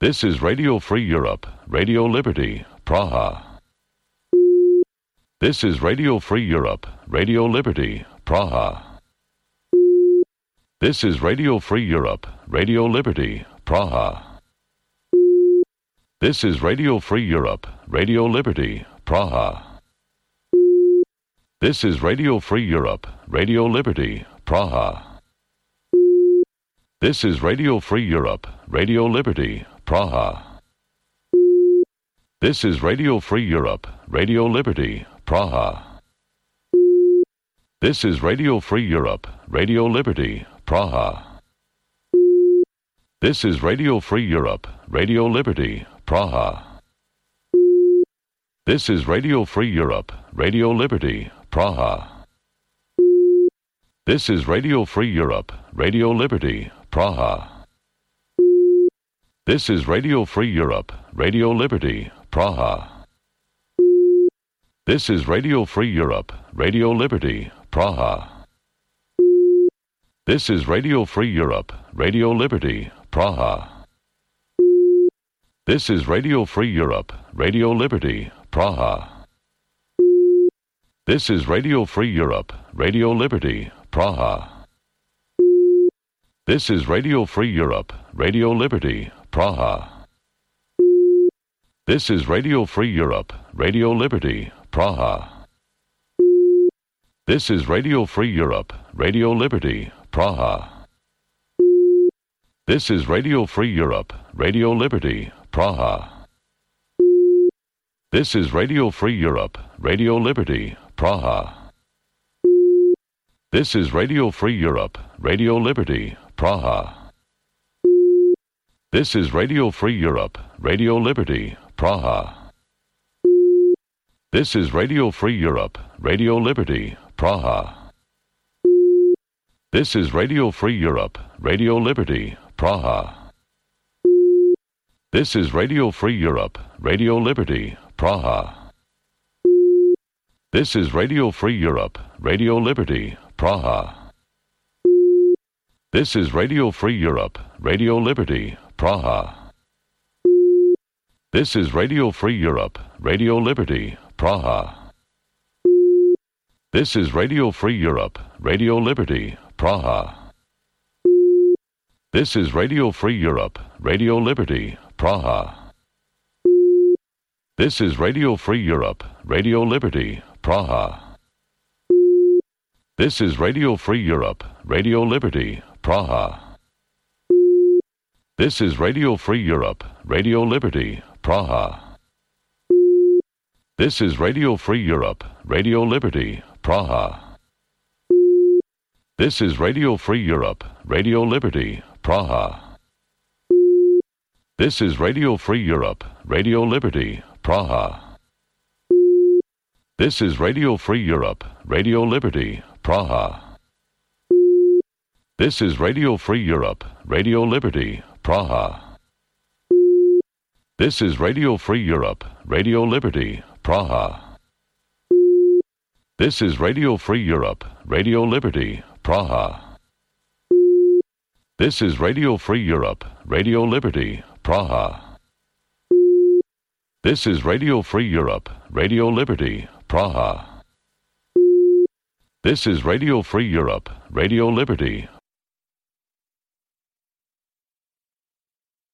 Speaker 14: This is Radio Free Europe, Radio Liberty, Praha. This is Radio Free Europe, Radio Liberty, Praha. This is Radio Free Europe, Radio Liberty, Praha. This is Radio Free Europe, Radio Liberty, Praha. This is Radio Free Europe, Radio Liberty, Praha. This is Radio Free Europe, Radio Liberty, Praha. This is Radio Free Europe, Radio Liberty, Praha. This is Radio Free Europe, Radio Liberty, Praha. This is Radio Free Europe, Radio Liberty, Praha. This is Radio Free Europe, Radio Liberty, Praha. This is Radio Free Europe, Radio Liberty, Praha. This is Radio Free Europe, Radio Liberty, Praha. This is Radio Free Europe, Radio Liberty, Praha. This is Radio Free Europe, Radio Liberty, Praha. This is Radio Free Europe, Radio Liberty, Praha. This is Radio Free Europe, Radio Liberty, Praha. This is Radio Free Europe, Radio Liberty, Praha. This is Radio Free Europe, Radio Liberty, Praha. This is Radio Free Europe, Radio Liberty, Praha. This is Radio Free Europe, Radio Liberty, Praha. This is Radio Free Europe, Radio Liberty, Praha. This is Radio Free Europe, Radio Liberty, Praha. This is Radio Free Europe, Radio Liberty, Praha. This is Radio Free Europe, Radio Liberty, Praha. This is Radio Free Europe, Radio Liberty, Praha. This is Radio Free Europe, Radio Liberty, Praha. This is Radio Free Europe, Radio Liberty, Praha. This is Radio Free Europe, Radio Liberty, Praha. This is Radio Free Europe, Radio Liberty, Praha. This is Radio Free Europe, Radio Liberty, Praha. This is Radio Free Europe, Radio Liberty, Praha. This is Radio Free Europe, Radio Liberty, Praha. This is Radio Free Europe, Radio Liberty, Praha. This is Radio Free Europe, Radio Liberty, Praha. This is Radio Free Europe, Radio Liberty, Praha. This is Radio Free Europe, Radio Liberty, Praha. This is Radio Free Europe, Radio Liberty, Praha. This is Radio Free Europe, Radio Liberty, Praha. This is Radio Free Europe, Radio Liberty, Praha. This is Radio Free Europe, Radio Liberty, Praha. This is Radio Free Europe, Radio Liberty, Praha. This is Radio Free Europe, Radio Liberty, Praha. This is Radio Free Europe, Radio Liberty, Praha. This is Radio Free Europe, Radio Liberty,